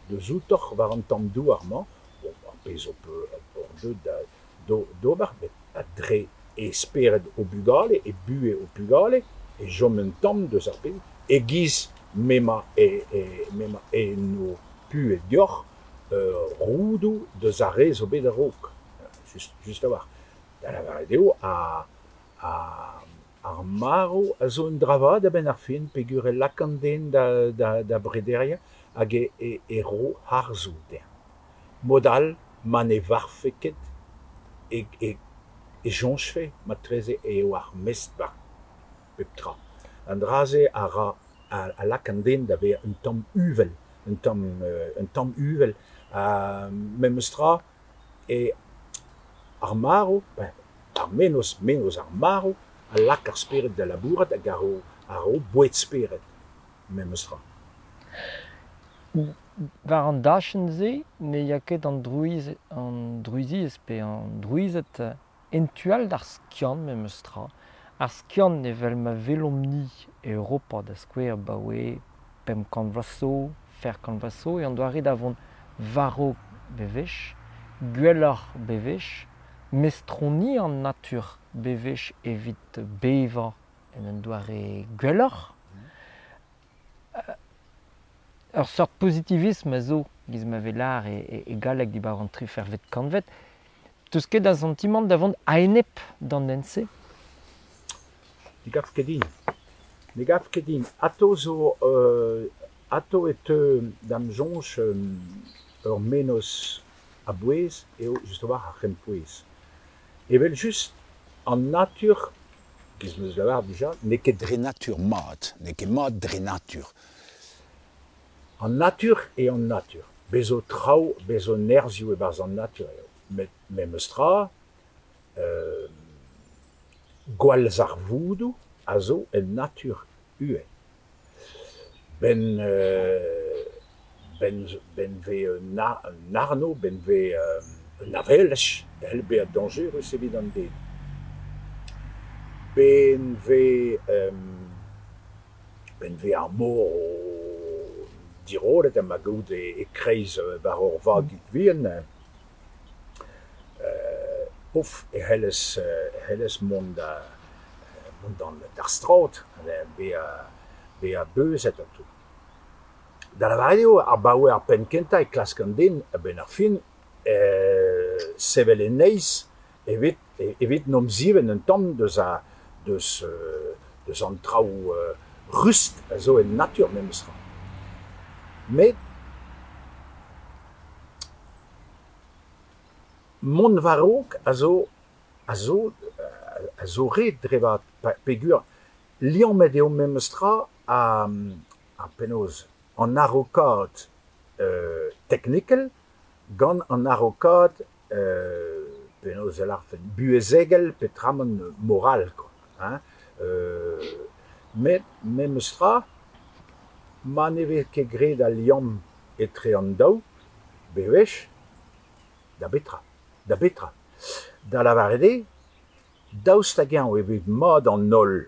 deus outoc'h war an tamm douar-mañ, bon ar pezh ho peus deuet d'ober met dre e spered ho bugale, e buhez ho pugale e chom un tamm deus ar pezh e-giz m'emañ m'emañ en ho puhez deoc'h roudoù deus ar re zo bet a-raok, just just a-walc'h. Da lavaret eo ar marv a zo un dra vat a-benn ar fin peogwir e lak an den da da da brederiañ hag e e ro harzoù dezhañ. Mod all ma ne varvfe ket e e e soñjfe marteze eo ar mestr war pep tra. An dra-se a ra a lak an den da vezañ un tamm uvel, un tamm un tamm uvel ha memes tra e ar marv, ar mennozh mennozh ar marv a lak ar spered da labourat hag a ro a ro boued-spered memes tra. War an dachenn-se ne ya ket an drouiz an drouiziezh pe an drouized en tu all d'ar skiant memes tra. Ar skiant evel ma welomp-ni e Europa da skouer abaoe 500 vloaz zo, 400 vloaz zo, eo an doare da vont war-raok bewech, gwelloc'h bewech, mestroniañ an natur bewech evit bevañ en un doare gwelloc'h. Ur seurt pozitivism a zo, giz ma vez lâr e galleg diwar an trifervet kantved. 'Teus ket a santimant da vont a-enep d'an hent-se? Ne gav ket din. Ne gav ket din. Atao zo atao e teu da'm soñj ur mennozh a-bouez eo just a-walc'h ar c'hempouez. Evel-just an natur, giz 'm eus lavaret dija, n'eo ket dre natur mat, n'eo ket mat dre natur. An natur eo an natur. Bez zo traoù, bez zo nerzhioù e-barzh an natur eo. Met memes tra, gwallzarvoudoù a zo en natur ivez. 'Benn 'benn 'benn 'vez un arno, 'benn 'vez un avelaj e c'hell bezañ dañjerus evit an den. 'Benn 'vez 'benn 'vez ar mor o dirollet ha ma gaout e-kreiz war ur vagig vihan pouf e c'hellez e c'hellez mont da mont d'ar strad bezañ bezañ beuzet ha tout. Da lavaret eo abaoe ar penn-kentañ e klask an den a-benn ar fin sevel e neizh evit evit 'n em zivenn un tamm deus a deus deus an traoù rust a zo en natur memes tra. Met mont war-raok a zo a zo a zo ret dre vat peogwir liammet eo memes tra ha penaos an araokaat teknikel gant an araokaat penaos e lârfen buhezegel peotramant moral kwa hein. Met memes tra ma ne vez ket graet al liamm etre an daou bewech da betra da betra. Da lavaret eo daoust hag-eñ e vez mat an holl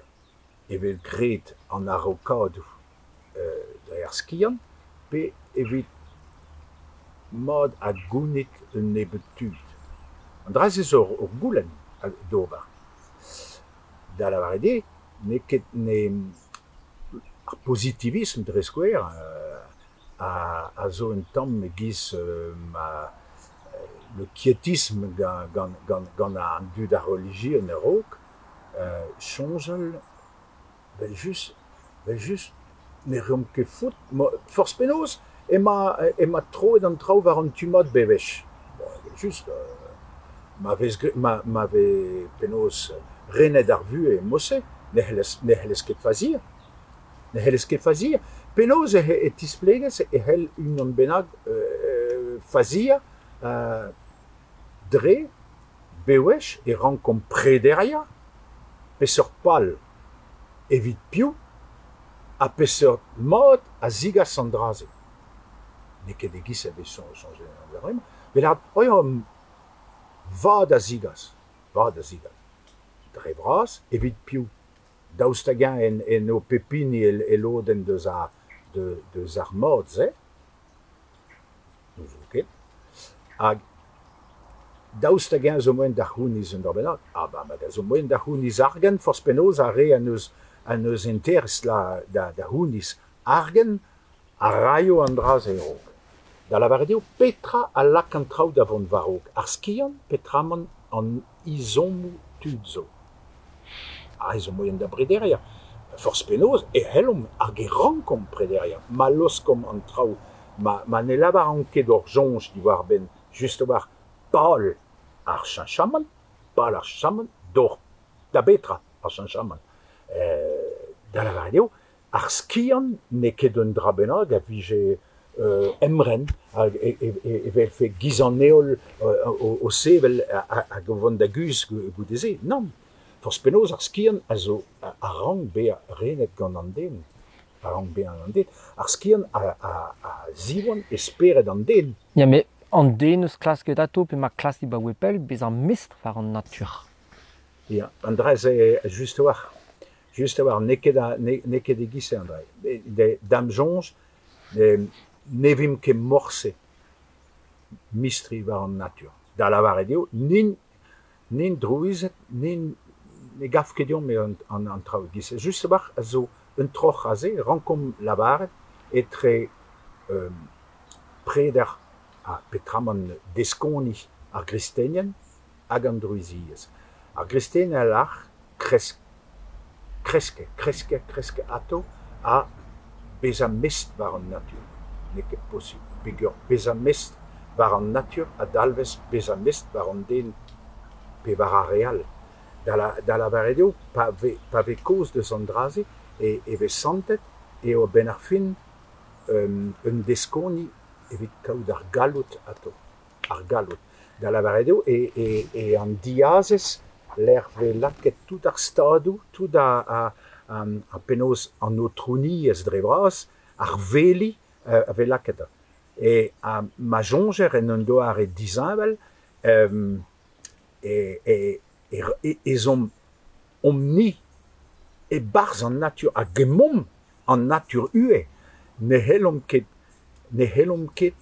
e vez graet an araokadoù dre ar skiant pe evit mat ha gounit un nebeud tud. An dra-se zo ur goulenn d'ober. Da lavaret eo n'eo ket ne ar pozitivism dre skouer a zo un tamm e-giz ma le quiétisme gant gant an dud a relijion a-raok, soñjal evel-just evel-just ne reomp ket faot forzh penaos emañ emañ troet an traoù war an tu mat bewech. Bon evel-just ma vez ma ma vez penaos renet ar vuhez mod-se ne c'hellez ne c'hellez ket faziañ. Ne c'hellez ket faziañ. Penaos e tisplegez e c'hell unan bennak faziañ dre bewech e rankomp prederiañ peseurt pal evit piv ha peseurt mod a zigas an dra-se. N'eo ket e-giz e vez soñjet an dra-mañ. Met lâret oh ya vad a zigas, vad a zigas. Dre vras evit piv. Daoust hag-eñ eno pep hini e lodenn deus ar deus ar mod-se? N'ouzon ket. Hag daoust hag-eñ zo moaien da c'hounez un dra bennak? Ah ba ma zo moaien da c'hounez argant forzh penaos ar re a neus a neus interest da da c'hounez argant a raio an dra-se a-raok. Da lavaret eo petra a lak an traoù da vont war-raok? Ar skiant peotramant an ezhommoù tud zo. Aze zo moaien da brederiañ. Forzh penaos e c'hellomp hag e rankomp prederiañ. Ma laoskomp an traoù ma ma ne lavaromp ket hor soñj diwar-benn just a-walc'h pal ar cheñchamant. pal ar cheñchamant, d'ober da betra ar cheñchamant. Da lavaret eo, ar skiant n'eo ket un dra bennak a vije emren hag e vefe giz an heol o sevel hag o vont da guzh goude-se. Nann, forzh penaos ar skiant a zo a rank bezañ renet gant an den. A rank bezañ an den. Ar skiant a ziwan e spered an den. Ya, met an den eus klasket atao pe ma klask dibaoe pell bezañ mestr war an natur. Ya, an dra-se just a-walc'h. Just a-walc'h, n'eo ket n'eo ket e-giz-se an dra. Da'm soñj, ne vimp ket morse mistri war an natur. Da lavaret eo, n'int n'int drouized, n'int ne gav ket deomp eo an traoù e-giz-se. Just a-walc'h a zo un troc'h aze, rankomp lavaret etre preder ha petramant deskoni ar gristenien hag an drouiziezh. Ar gristenien a lâr kresk kresk kresk kresk atav ha bezañ mestr war an natur. N'eo ket posubl peogwir bezañ mestr war an natur a dalvez bezañ mestr war an den pe war ar re all. Da lavaret eo pa vez pa vez kaoz deus an dra-se e vez santet eo a-benn ar fin un deskoni evit kaout ar galloud atav, ar galloud. Da lavaret eo e an diazez lec'h vez lakaet tout ar stadoù, tout ar penaos an aotrouniezh dre vras, ar veli a vez lakaet. E ma soñjer en un doare disheñvel ez omp omp-ni e-barzh an natur hag emaomp an natur ivez. Ne c'hellomp ket ne c'hellomp ket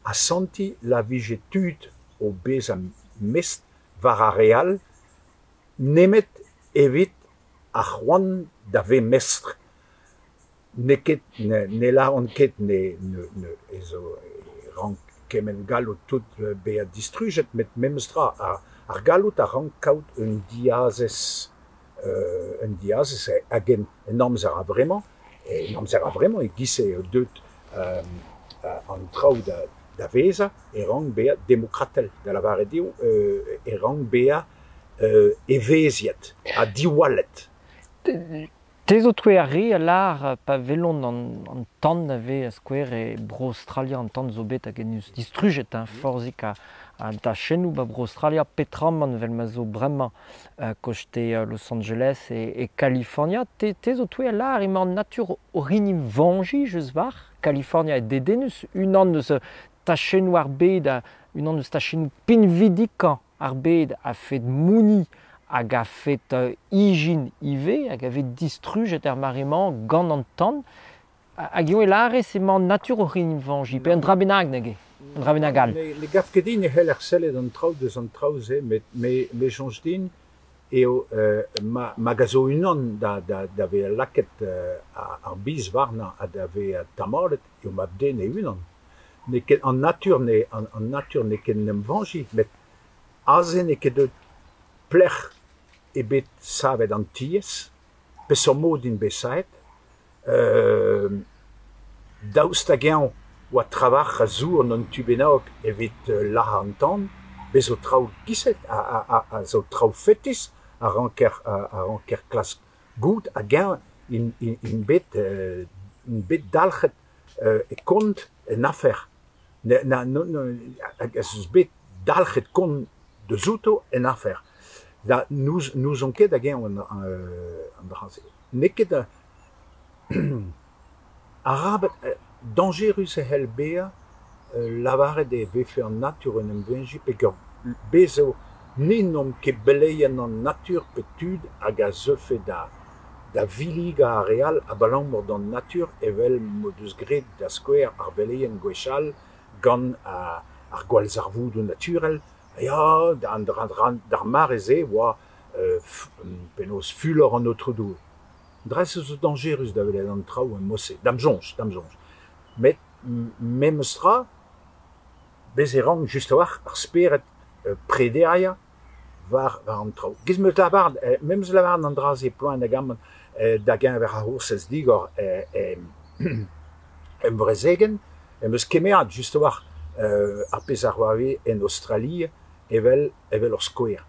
asantiñ la vije tud o bezañ mestr war ar re all nemet evit ar c'hoant da vezañ mestr. N'eo ket ne lâran ket ne ne ez zo e rank kement galloud tout bezañ distrujet met memes tra ar galloud a rank kaout un diazez un diazez hag en amzer a-vremañ en amzer a-vremañ e-giz eo deuet an traoù da vezañ e rank bezañ demokratel, da lavaret eo e rank bezañ evezhiet ha diwallet. Te zo touez ar re a lâr pa welont an tan a vez a-skouer e Bro-Aostralia, an tan zo bet hag en deus distrujet hein, forzhik a dachennoù ba Bro-Aostralia, petramant evel ma zo bremañ koste Los Angeles e Kalifornia. Te zo touez a lâr emañ an natur o hini vañjiñ just war Kalifornia e dedennus, unan eus tachennoù ar bed, unan eus tachennoù pinvidikañ ar bed a-fet mouniñ hag a-fet ijin ivez, hag a vez distrujet er mare-mañ gant an tan. Hag eo e lârez emañ an natur oc'h en em vañjiñ, pe un dra bennak neuze, un dra bennak all. Ne gav ket din e c'heller sellet an traoù deus an traoù-se, met me soñj din eo ma a zo unan da vezañ lakaet ar biz warnañ ha da vezañ tamallet eo mab-den e-unan. N'eo ket an natur an natur n'eo ket en em vañjiñ, met aze n'eo ket deuet pelec'h eo bet savet an tiez, peseurt mod int bet savet, daoust hag-eñ oa trawalc'h a zour en un tu bennak evit lazhañ an tan, bez zo traoù giz-se a zo traoù fetis a ranker klask goût hag-eñ int bet dalc'het e kont en afer. Hag ez eus bet dalc'het kont deus outo en afer. Da n'ouzon ket hag-eñ an dra-se. N'eo ket arabat dañjerus e c'hell bezañ lavaret e vefe an natur en em veñjiñ peogwir bez eo ni n'omp ket beleien an natur pe tud hag a zeufe da villigañ ar re all abalamour d'an natur evel m'o deus graet da skouer ar veleien gwechall gant ar gwallzarvoudoù naturel. Ya, d'ar mare-se oa penaos fulor an Aotrou Doue. Dres zo dañjerus da welet an traoù en-mod-se, da'm soñj, da'm soñj. Met memes tra, bez e rank just a-walc'h ar spered prederiañ war an traoù. Giz 'm eus lavaret, memes lavaret an dra-se poan hag amañ da geñver ar C'hoursez digor em brezegenn, em eus kemeret just a-walc'h ar pezh a c'hoarvez en Aostralia evel ur skouer.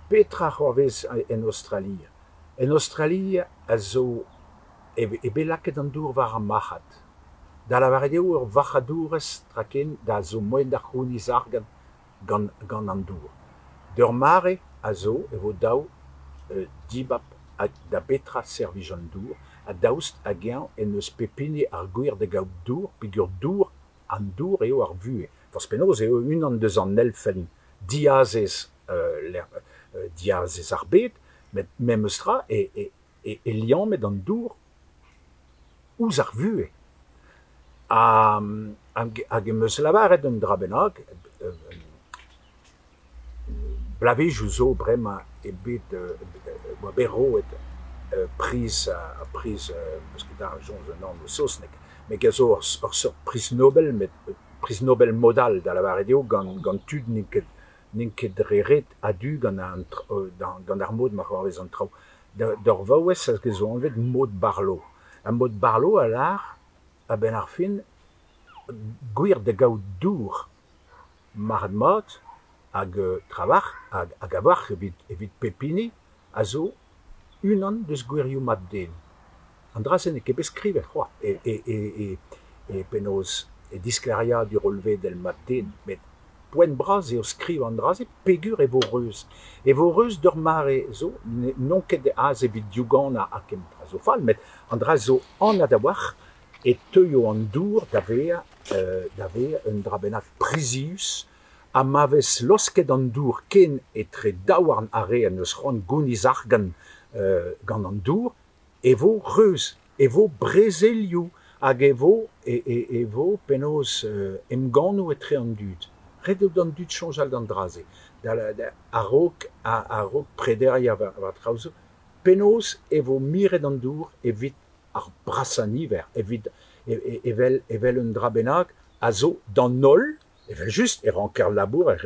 Petra c'hoarvez en Aostralia? En Aostralia a zo eo bet lakaet an dour war ar marc'had. Da lavaret eo ur varc'hadourezh traken da zo moaien da c'hounit argant gant gant an dour. D'ur mare a zo e vo dav dibab da betra servij an dour ha daoust hag-eñ en deus pep hini ar gwir da gaout dour peogwir dour an dour eo ar vuhez. Forzh penaos eo unan deus an elfenn diazez diazez ar bed met memes tra e e liammet an dour ouzh ar vuhez. Hag em eus lavaret un dra bennak bloavezhioù zo bremañ eo bet oa bet roet priz ar priz 'meus ket ar soñj an anv saoznek met a zo ur seurt priz Nobel met priz Nobel mod all da lavaret eo gant gant tud n'int ket n'int ket dre ret a-du gant an gant ar mod ma c'hoarvez an traoù. D'ur vaouez hag a zo anvet Maud Barlow. Ha Maud Barlow a lâr a-benn ar fin gwir da gaout dour marc'had-mat hag trawalc'h hag a-walc'h evit evit pep hini a zo unan deus gwirioù mab-den. An dra-se n'eo ket bet skrivet c'hoazh e e e penaos e disklêriadur hollvedel mab-den met poent bras eo skrivañ an dra-se peogwir e vo reuz. E vo reuz d'ur mare zo n'on ket aze evit diouganañ ha kement tra zo fall met an dra zo anat a-walc'h e teuio an dour da vezañ da vezañ un dra bennak prizius ha ma vez laosket an dour ken etre daouarn ar re en deus c'hoant gounit argant gant an dour e vo reuz, e vo brezelioù hag e vo e vo penaos emgannoù etre an dud. Ret eo d'an dud soñjal d'an dra-se a-raok a-raok prederiañ war traoù zo. Penaos e vo miret an dour evit ar brasañ niver, evit evel evel un dra bennak a zo d'an holl, evel-just e ranker labourat,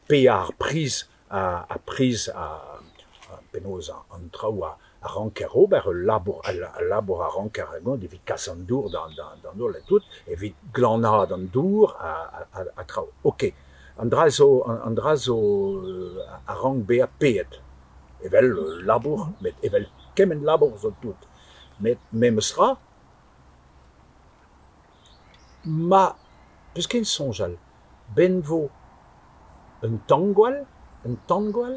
paeañ ar priz ar priz penaos an traoù a ranker ober, ul labour al labour a ranker evit kas an dour d'an holl ha tout, evit glanaat an dour ha traoù. Ok, an dra zo an dra zo a rank bezañ paeet evel labour, met evel kement labour zo tout. Met memes tra, ma 'peus ket soñjal, 'benn 'vo un tangwall, un tangwall,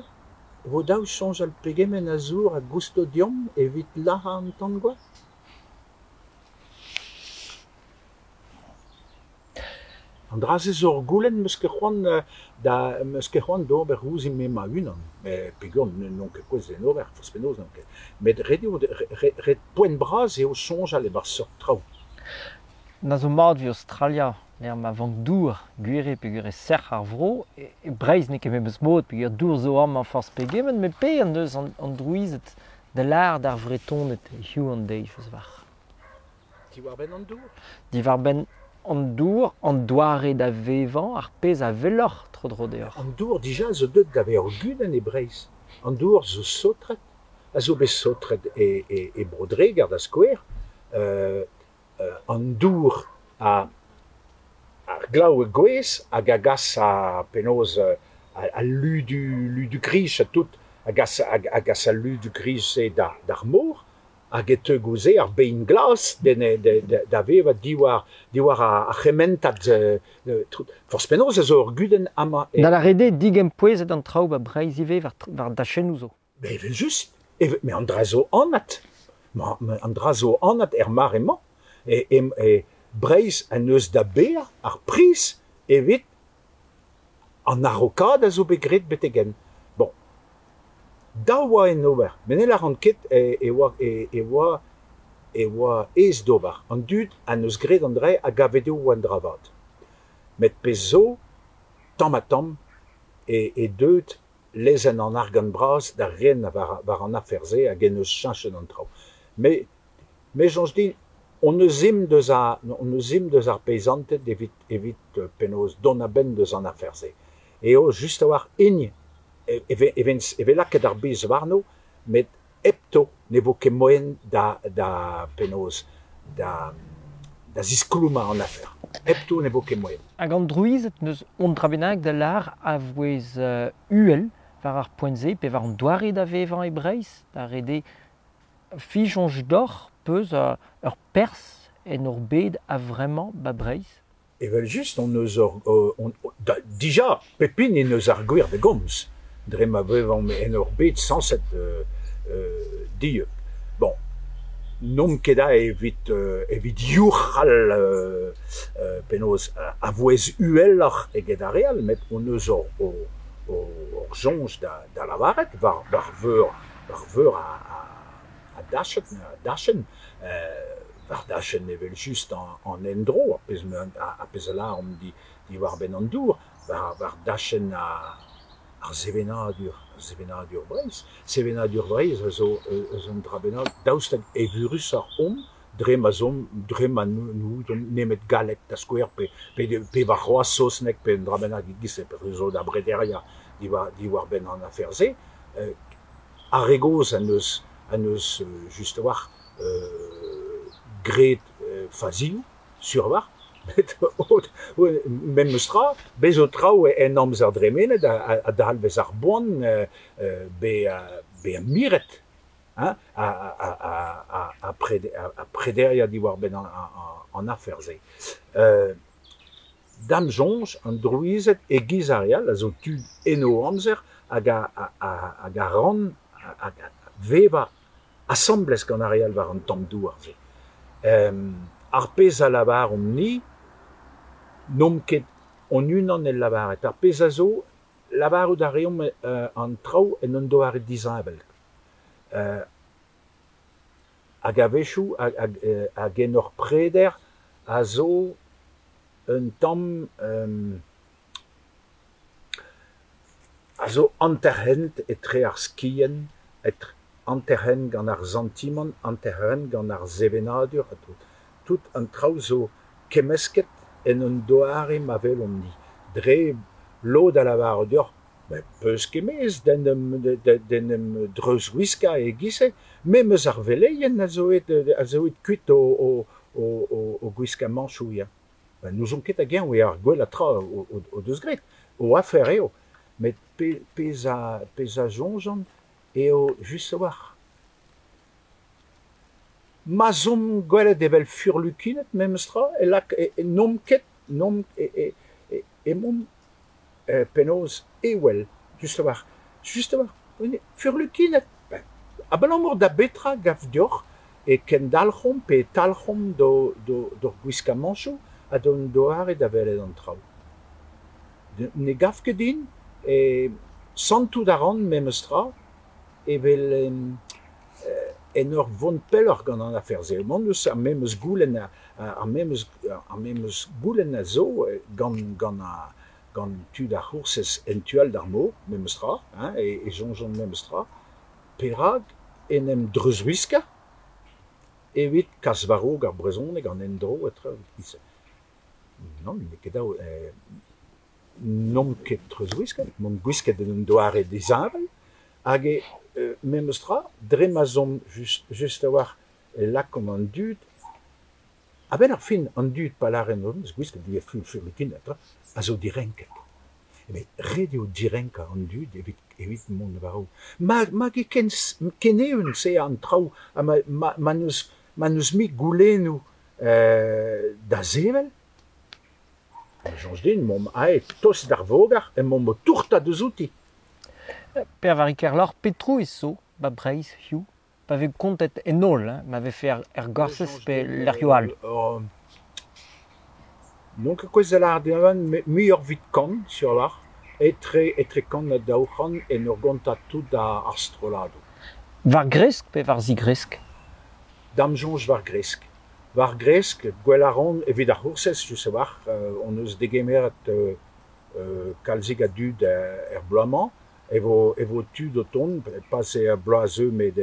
e vo dav soñjal pegement a zour a gousto deomp evit lazhañ an tangwall ? An dra-se zo ur goulenn 'meus ket c'hoant da 'meus ket c'hoant d'ober ouzhin-me ma-unan peogwir n'on ket gouest d'en ober forzh penaos n'on ket. Met ret eo ret poent bras eo soñjal e-barzh seurt traoù. Na zo mat evit Aostralia lec'h ma vank dour, gwir eo peogwir e sec'h ar vro. E Breizh n'eo ket memes mod peogwir dour zo amañ forzh pegement met pe en deus an drouized da lâret d'ar Vretoned hiziv an deiz eus war. Diwar-benn an dour? Diwar-benn an dour, an doare da vevañ, ar pezh a weloc'h tro-dro deoc'h. An dour dija zo deuet da vezañ ur gudenn e Breizh. An dour zo saotret, a zo bet saotret e e e Bro-Dreger da skouer. An dour a ar glav a gouezh hag a gas a penaos al ludu ludu griz ha tout a gas a gas al ludu griz-se d'ar mor hag e teu goude ar bein glas da vevañ diwar diwar ar c'hementad forzh penaos a zo ur gudenn amañ. Da lâret eo digempouezet an traoù 'ba Breizh ivez war dachennoù zo. Met evel-just, met an dra zo anat. An dra zo anat er mare-mañ. E Breizh en deus da baeañ ar priz evit an araokaat a zo bet graet betek-henn. Bon, dav oa en ober, met ne lâran ket e oa e oa e oa aes d'ober. An dud en deus graet an dra a gave dezho oa un dra vat. Met pezh zo, tamm-ha-tamm, eo deuet lezenn an argant bras da ren war an afer-se hag en deus cheñchet an traoù. Me me soñj din hon eus ezhomm deus a hon eus ezhomm deus ar peizanted evit evit penaos dont a-benn deus an afer-se. Eo just a-walc'h int e vez lakaet ar bez warno met hepto ne vo ket moaien da da penaos da da ziskloumañ an afer. Hepto ne vo ket moaien. Hag an drouized n'eus un dra bennak da lâr a vouezh uhel war ar poent-se pe war an doare da vevañ e Breizh, da ret eo fijoñs deoc'h peus ur perzh en hor bed a-vremañ ba Breizh? Evel-just hon eus ur on, da, dija pep hini en deus ar gwir da gomz dre ma vevomp en ur bed sañset dieub. Bon, n'omp ket aze evit evit youc'hal penaos a vouezh uheloc'h eget ar re all met hon eus hor hor soñj da da lavaret war war veur war veur a a dachenn a dachenn war dachenn evel-just an endro, ar pezh ar pezh a lâromp diwar-benn an dour, war war dachenn ar sevenadur, sevenadur Breizh. Sevenadur Breizh a zo eus un dra bennak, daoust hag evurusoc'h omp dre ma 'z omp, dre ma n'ouzomp nemet galleg da skouer pe pe warc'hoazh saozneg pe un dra bennak e-giz-se, pe zo da brederiañ diwar diwar-benn an afer-se. Ar re gozh en deus en deus just a-walc'h graet fazioù, sur a-walc'h, met memes tra, bez zo traoù en amzer dremenet a dalvez ar boan bezañ miret hein, ha prederiañ diwar-benn an afer-se. Da'm soñj, an drouized e-giz ar re all a zo tud en o amzer hag a ran hag a vevañ asambles gant ar re all war an tamm douar-se. Ar pezh a lavaromp-ni, n'omp ket hon-unan el lavaret. Ar pezh a zo, lavarout a reomp an traoù en un doare disheñvel. Hag a-wechoù, hag en hor preder a zo un tamm a zo hanter-hent etre ar skien, etre hanter-hent gant ar santimant, hanter-hent gant ar sevenadur ha tout. Tout an traoù zo kemmesket en un doare ma welomp-ni. Dre lod a lavaro deoc'h, met 'peus ket mezh d'en em d'en em dreuzwiskañ e-giz-se. Memes ar veleien a zo aet a zo aet kuit o o gwiskamantoù ya. Ben n'ouzon ket hag-eñ eo ar gwellañ tra o deus graet. O afer eo. Met pezh a pezh a soñjan eo just a-walc'h. Ma 'z omp gwelet evel furlukined memes tra e lak n'omp ket n'omp emaomp penaos ewel just a-walc'h just a-walc'h furlukined abalamour da betra 'gav deoc'h e kendalc'homp pe e talc'homp d'hor gwiskamantoù ha d'hon doare da welet an traoù. Ne gav ket din e santout a ran memes tra evel en ur vont pelloc'h gant an afer-se. Emaon eus ar memes goulenn ar memes ar memes goulenn a zo gant gant gant tud ar c'hoursez en tu all d'ar mor, memes tra, hein, e soñjont memes tra. Perak en em dreuzwiskañ evit kas war-raok ar brezhoneg, an endro ha traoù e-giz-se. Nann, n'eo ket dav n'omp ket treuzwisket, m'omp gwisket en un doare disheñvel hag e memes tra, dre ma 'z omp just just a-walc'h e lakaomp an dud, a-benn ar fin an dud pa lâren eus gwisket furlukined a zo direnket. Met ret eo direnkañ an dud evit evit mont war-raok. Ma ma ket ken ken eeun-se an traoù ha ma ma ma n'eus ma n'eus mui goulennoù da sevel, a soñj din m'omp aet tost d'ar voger emaomp o tourtat eus outi. Per-Vari Kerloc'h, petra zo ba Breizh hiziv pa vez kontet en holl, hein, ma vefe er Gorsez pe lec'hioù all. N'on ket gouest da lâret dezhañ muioc'h evit kant sur a-walc'h, etre etre kant ha 200 en ur gontañ tout ar strolladoù. War gresk pe war zigresk? Da'm soñj war gresk. War gresk, gwell a ran evit ar c'hoursez, just a-walc'h, hon eus degemeret kalzik a dud er bloaz-mañ, e vo e vo tud o tont, pas er bloaz a zeu met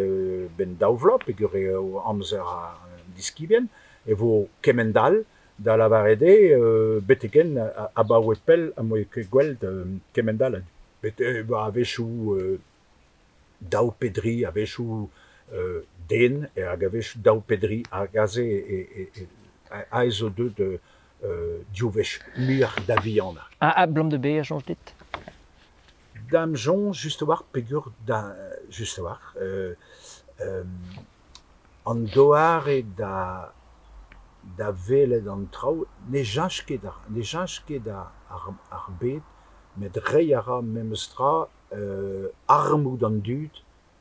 benn daou vloaz peogwir eo amzer an diskibien, e vo kement-all da lavaret eo betek-henn abaoe pell am boa ket gwelet kement-all a dud. A-wechoù daou pe dri, a-wechoù den, hag a-wechoù daou pe dri, hag aze aze zo deuet div wech muioc'h da vihanañ. Ha abalamour da be a soñj dit? Da'm soñj just a-walc'h peogwir da just a-walc'h an doare da da welet an traoù ne cheñch ket ne cheñch ket ar bed met reiñ a ra memes tra armoù d'an dud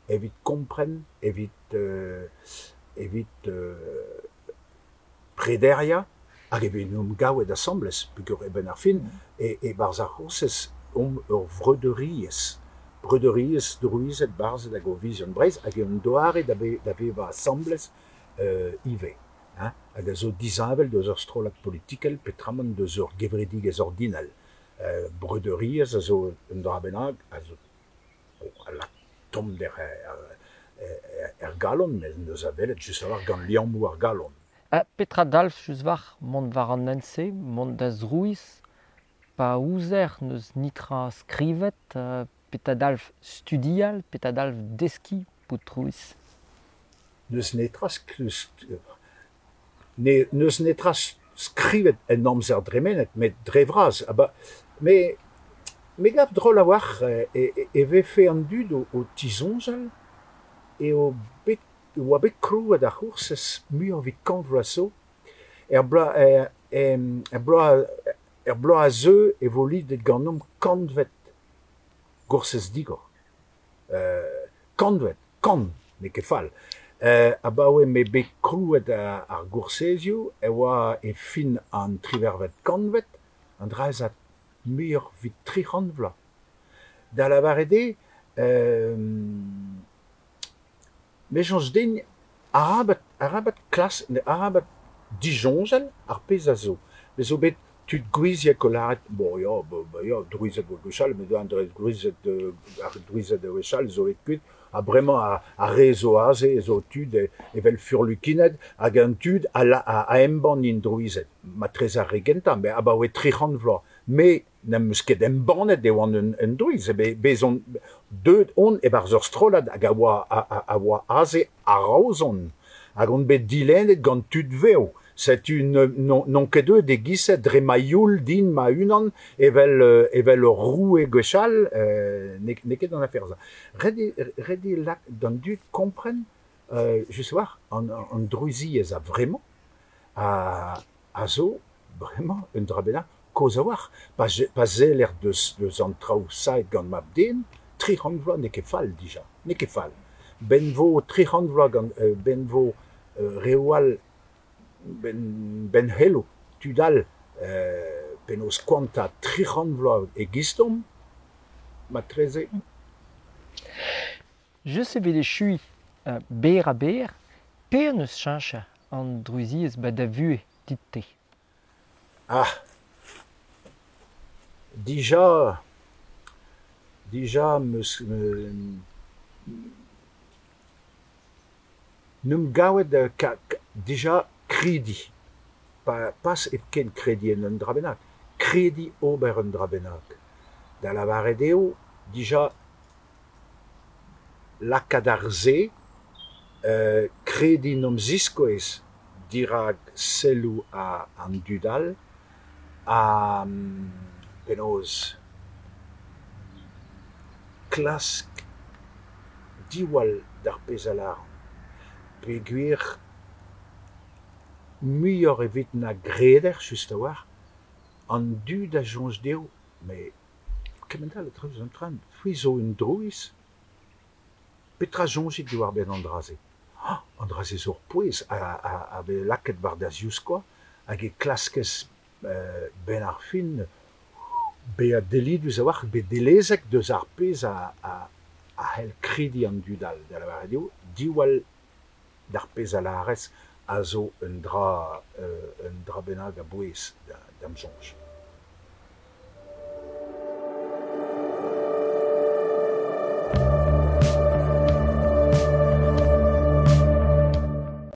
evit kompren, evit evit prederiañ hag evit en em gavet asambles peogwir a-benn ar fin e-barzh ar C'hoursez omp ur vreudeuriezh, breudeuriezh drouized, barzhed hag ovizion Breizh hag eo un doare da vevañ asambles ivez hein hag a zo disheñvel deus ur strollad politikel peotramant deus ur gevredigezh ordinal. Breudeuriezh a zo un dra bennak a zo a lak tommder er galon met n'eus a welet just a-walc'h gant liammoù ar galon. Ha petra dalv just war mont war an hent-se, mont da zrouiz, pa ouzer n'eus netra skrivet, petra dalv studial, petra dalv deskiñ bout drouiz? N'eus netra n'eus netra skrivet en amzer dremenet met dre vras me me gav drol a-walc'h e vefe an dud o tisoñjal eo bet e oa bet krouet ar C'hoursez muioc'h evit kant vloaz zo. Er bloaz er bloaz er bloaz a zeu e vo lidet ganeomp kantvet Goursez Digor. Kantved, kant, n'eo ket fall. Abaoe m'eo bet krouet ar goursezioù e oa e fin an triwec'hvet kantved, an dra-se a muioc'h evit 300 vloaz. Da lavaret eo me soñj din arabat arabat klask arabat disoñjal ar pezh a zo. Bez zo bet tud gouiziek o lâret bon ya ba ya drouized 'oa gwechall met an drouized ar drouized a-wechall zo aet kuit ha bremañ ar re zo aze zo tud evel furlukined hag an tud a embann int drouized. Matreze ar re gentañ met abaoe 300 vloaz. Me n'em eus ket embannet e oan un drouiz, bez on deuet on e-barzh ur strollad hag a oa a oa aze a-raozon hag on bet dilennet gant tud vev. Setu n'on ket deuet e-giz-se dre ma youl din ma-unan evel evel ur roue gwechall, n'eo ket an afer-se. Ret eo ret eo lak d'an dud kompren just a-walc'h an drouiziezh a-vremañ a zo bremañ un dra bennak kozh a-walc'h. Pa seller deus deus an traoù savet gant mab-den, 300 vloaz n'eo ket fall dija, n'eo ket fall. 'Benn 'vo 300 vloaz gant 'benn 'vo reoù all 'benn c'hello tud all penaos koantañ 300 vloaz e-gistomp matreze. Just evit echuiñ berr-ha-berr, pe en deus cheñchet an drouiziezh 'ba da vuhez dit-te? Ah dija dija 'm eus n'em gavet dija krediñ, pas hepken krediñ en un dra bennak, krediñ ober un dra bennak. Da lavaret eo dija lakaat ar se, krediñ 'n em ziskouez dirak selloù an dud all ha penaos klask diwall d'ar pezh a lâran peogwir muioc'h evit na greder just a-walc'h an dud a soñj dezho met kement-all a dreuz an tren, c'hwi zo un drouiz, petra soñjit diwar-benn an dra-se ? An dra-se zo ur pouez a vez lakaet war da zivskoaz hag e klaskez 'benn ar fin bezañ dellidus a-walc'h, bet dellezek deus ar pezh a c'hell krediñ an dud all, da lavaret eo diwall d'ar pezh a lârez a zo un dra un dra bennak a-bouez da'm soñj.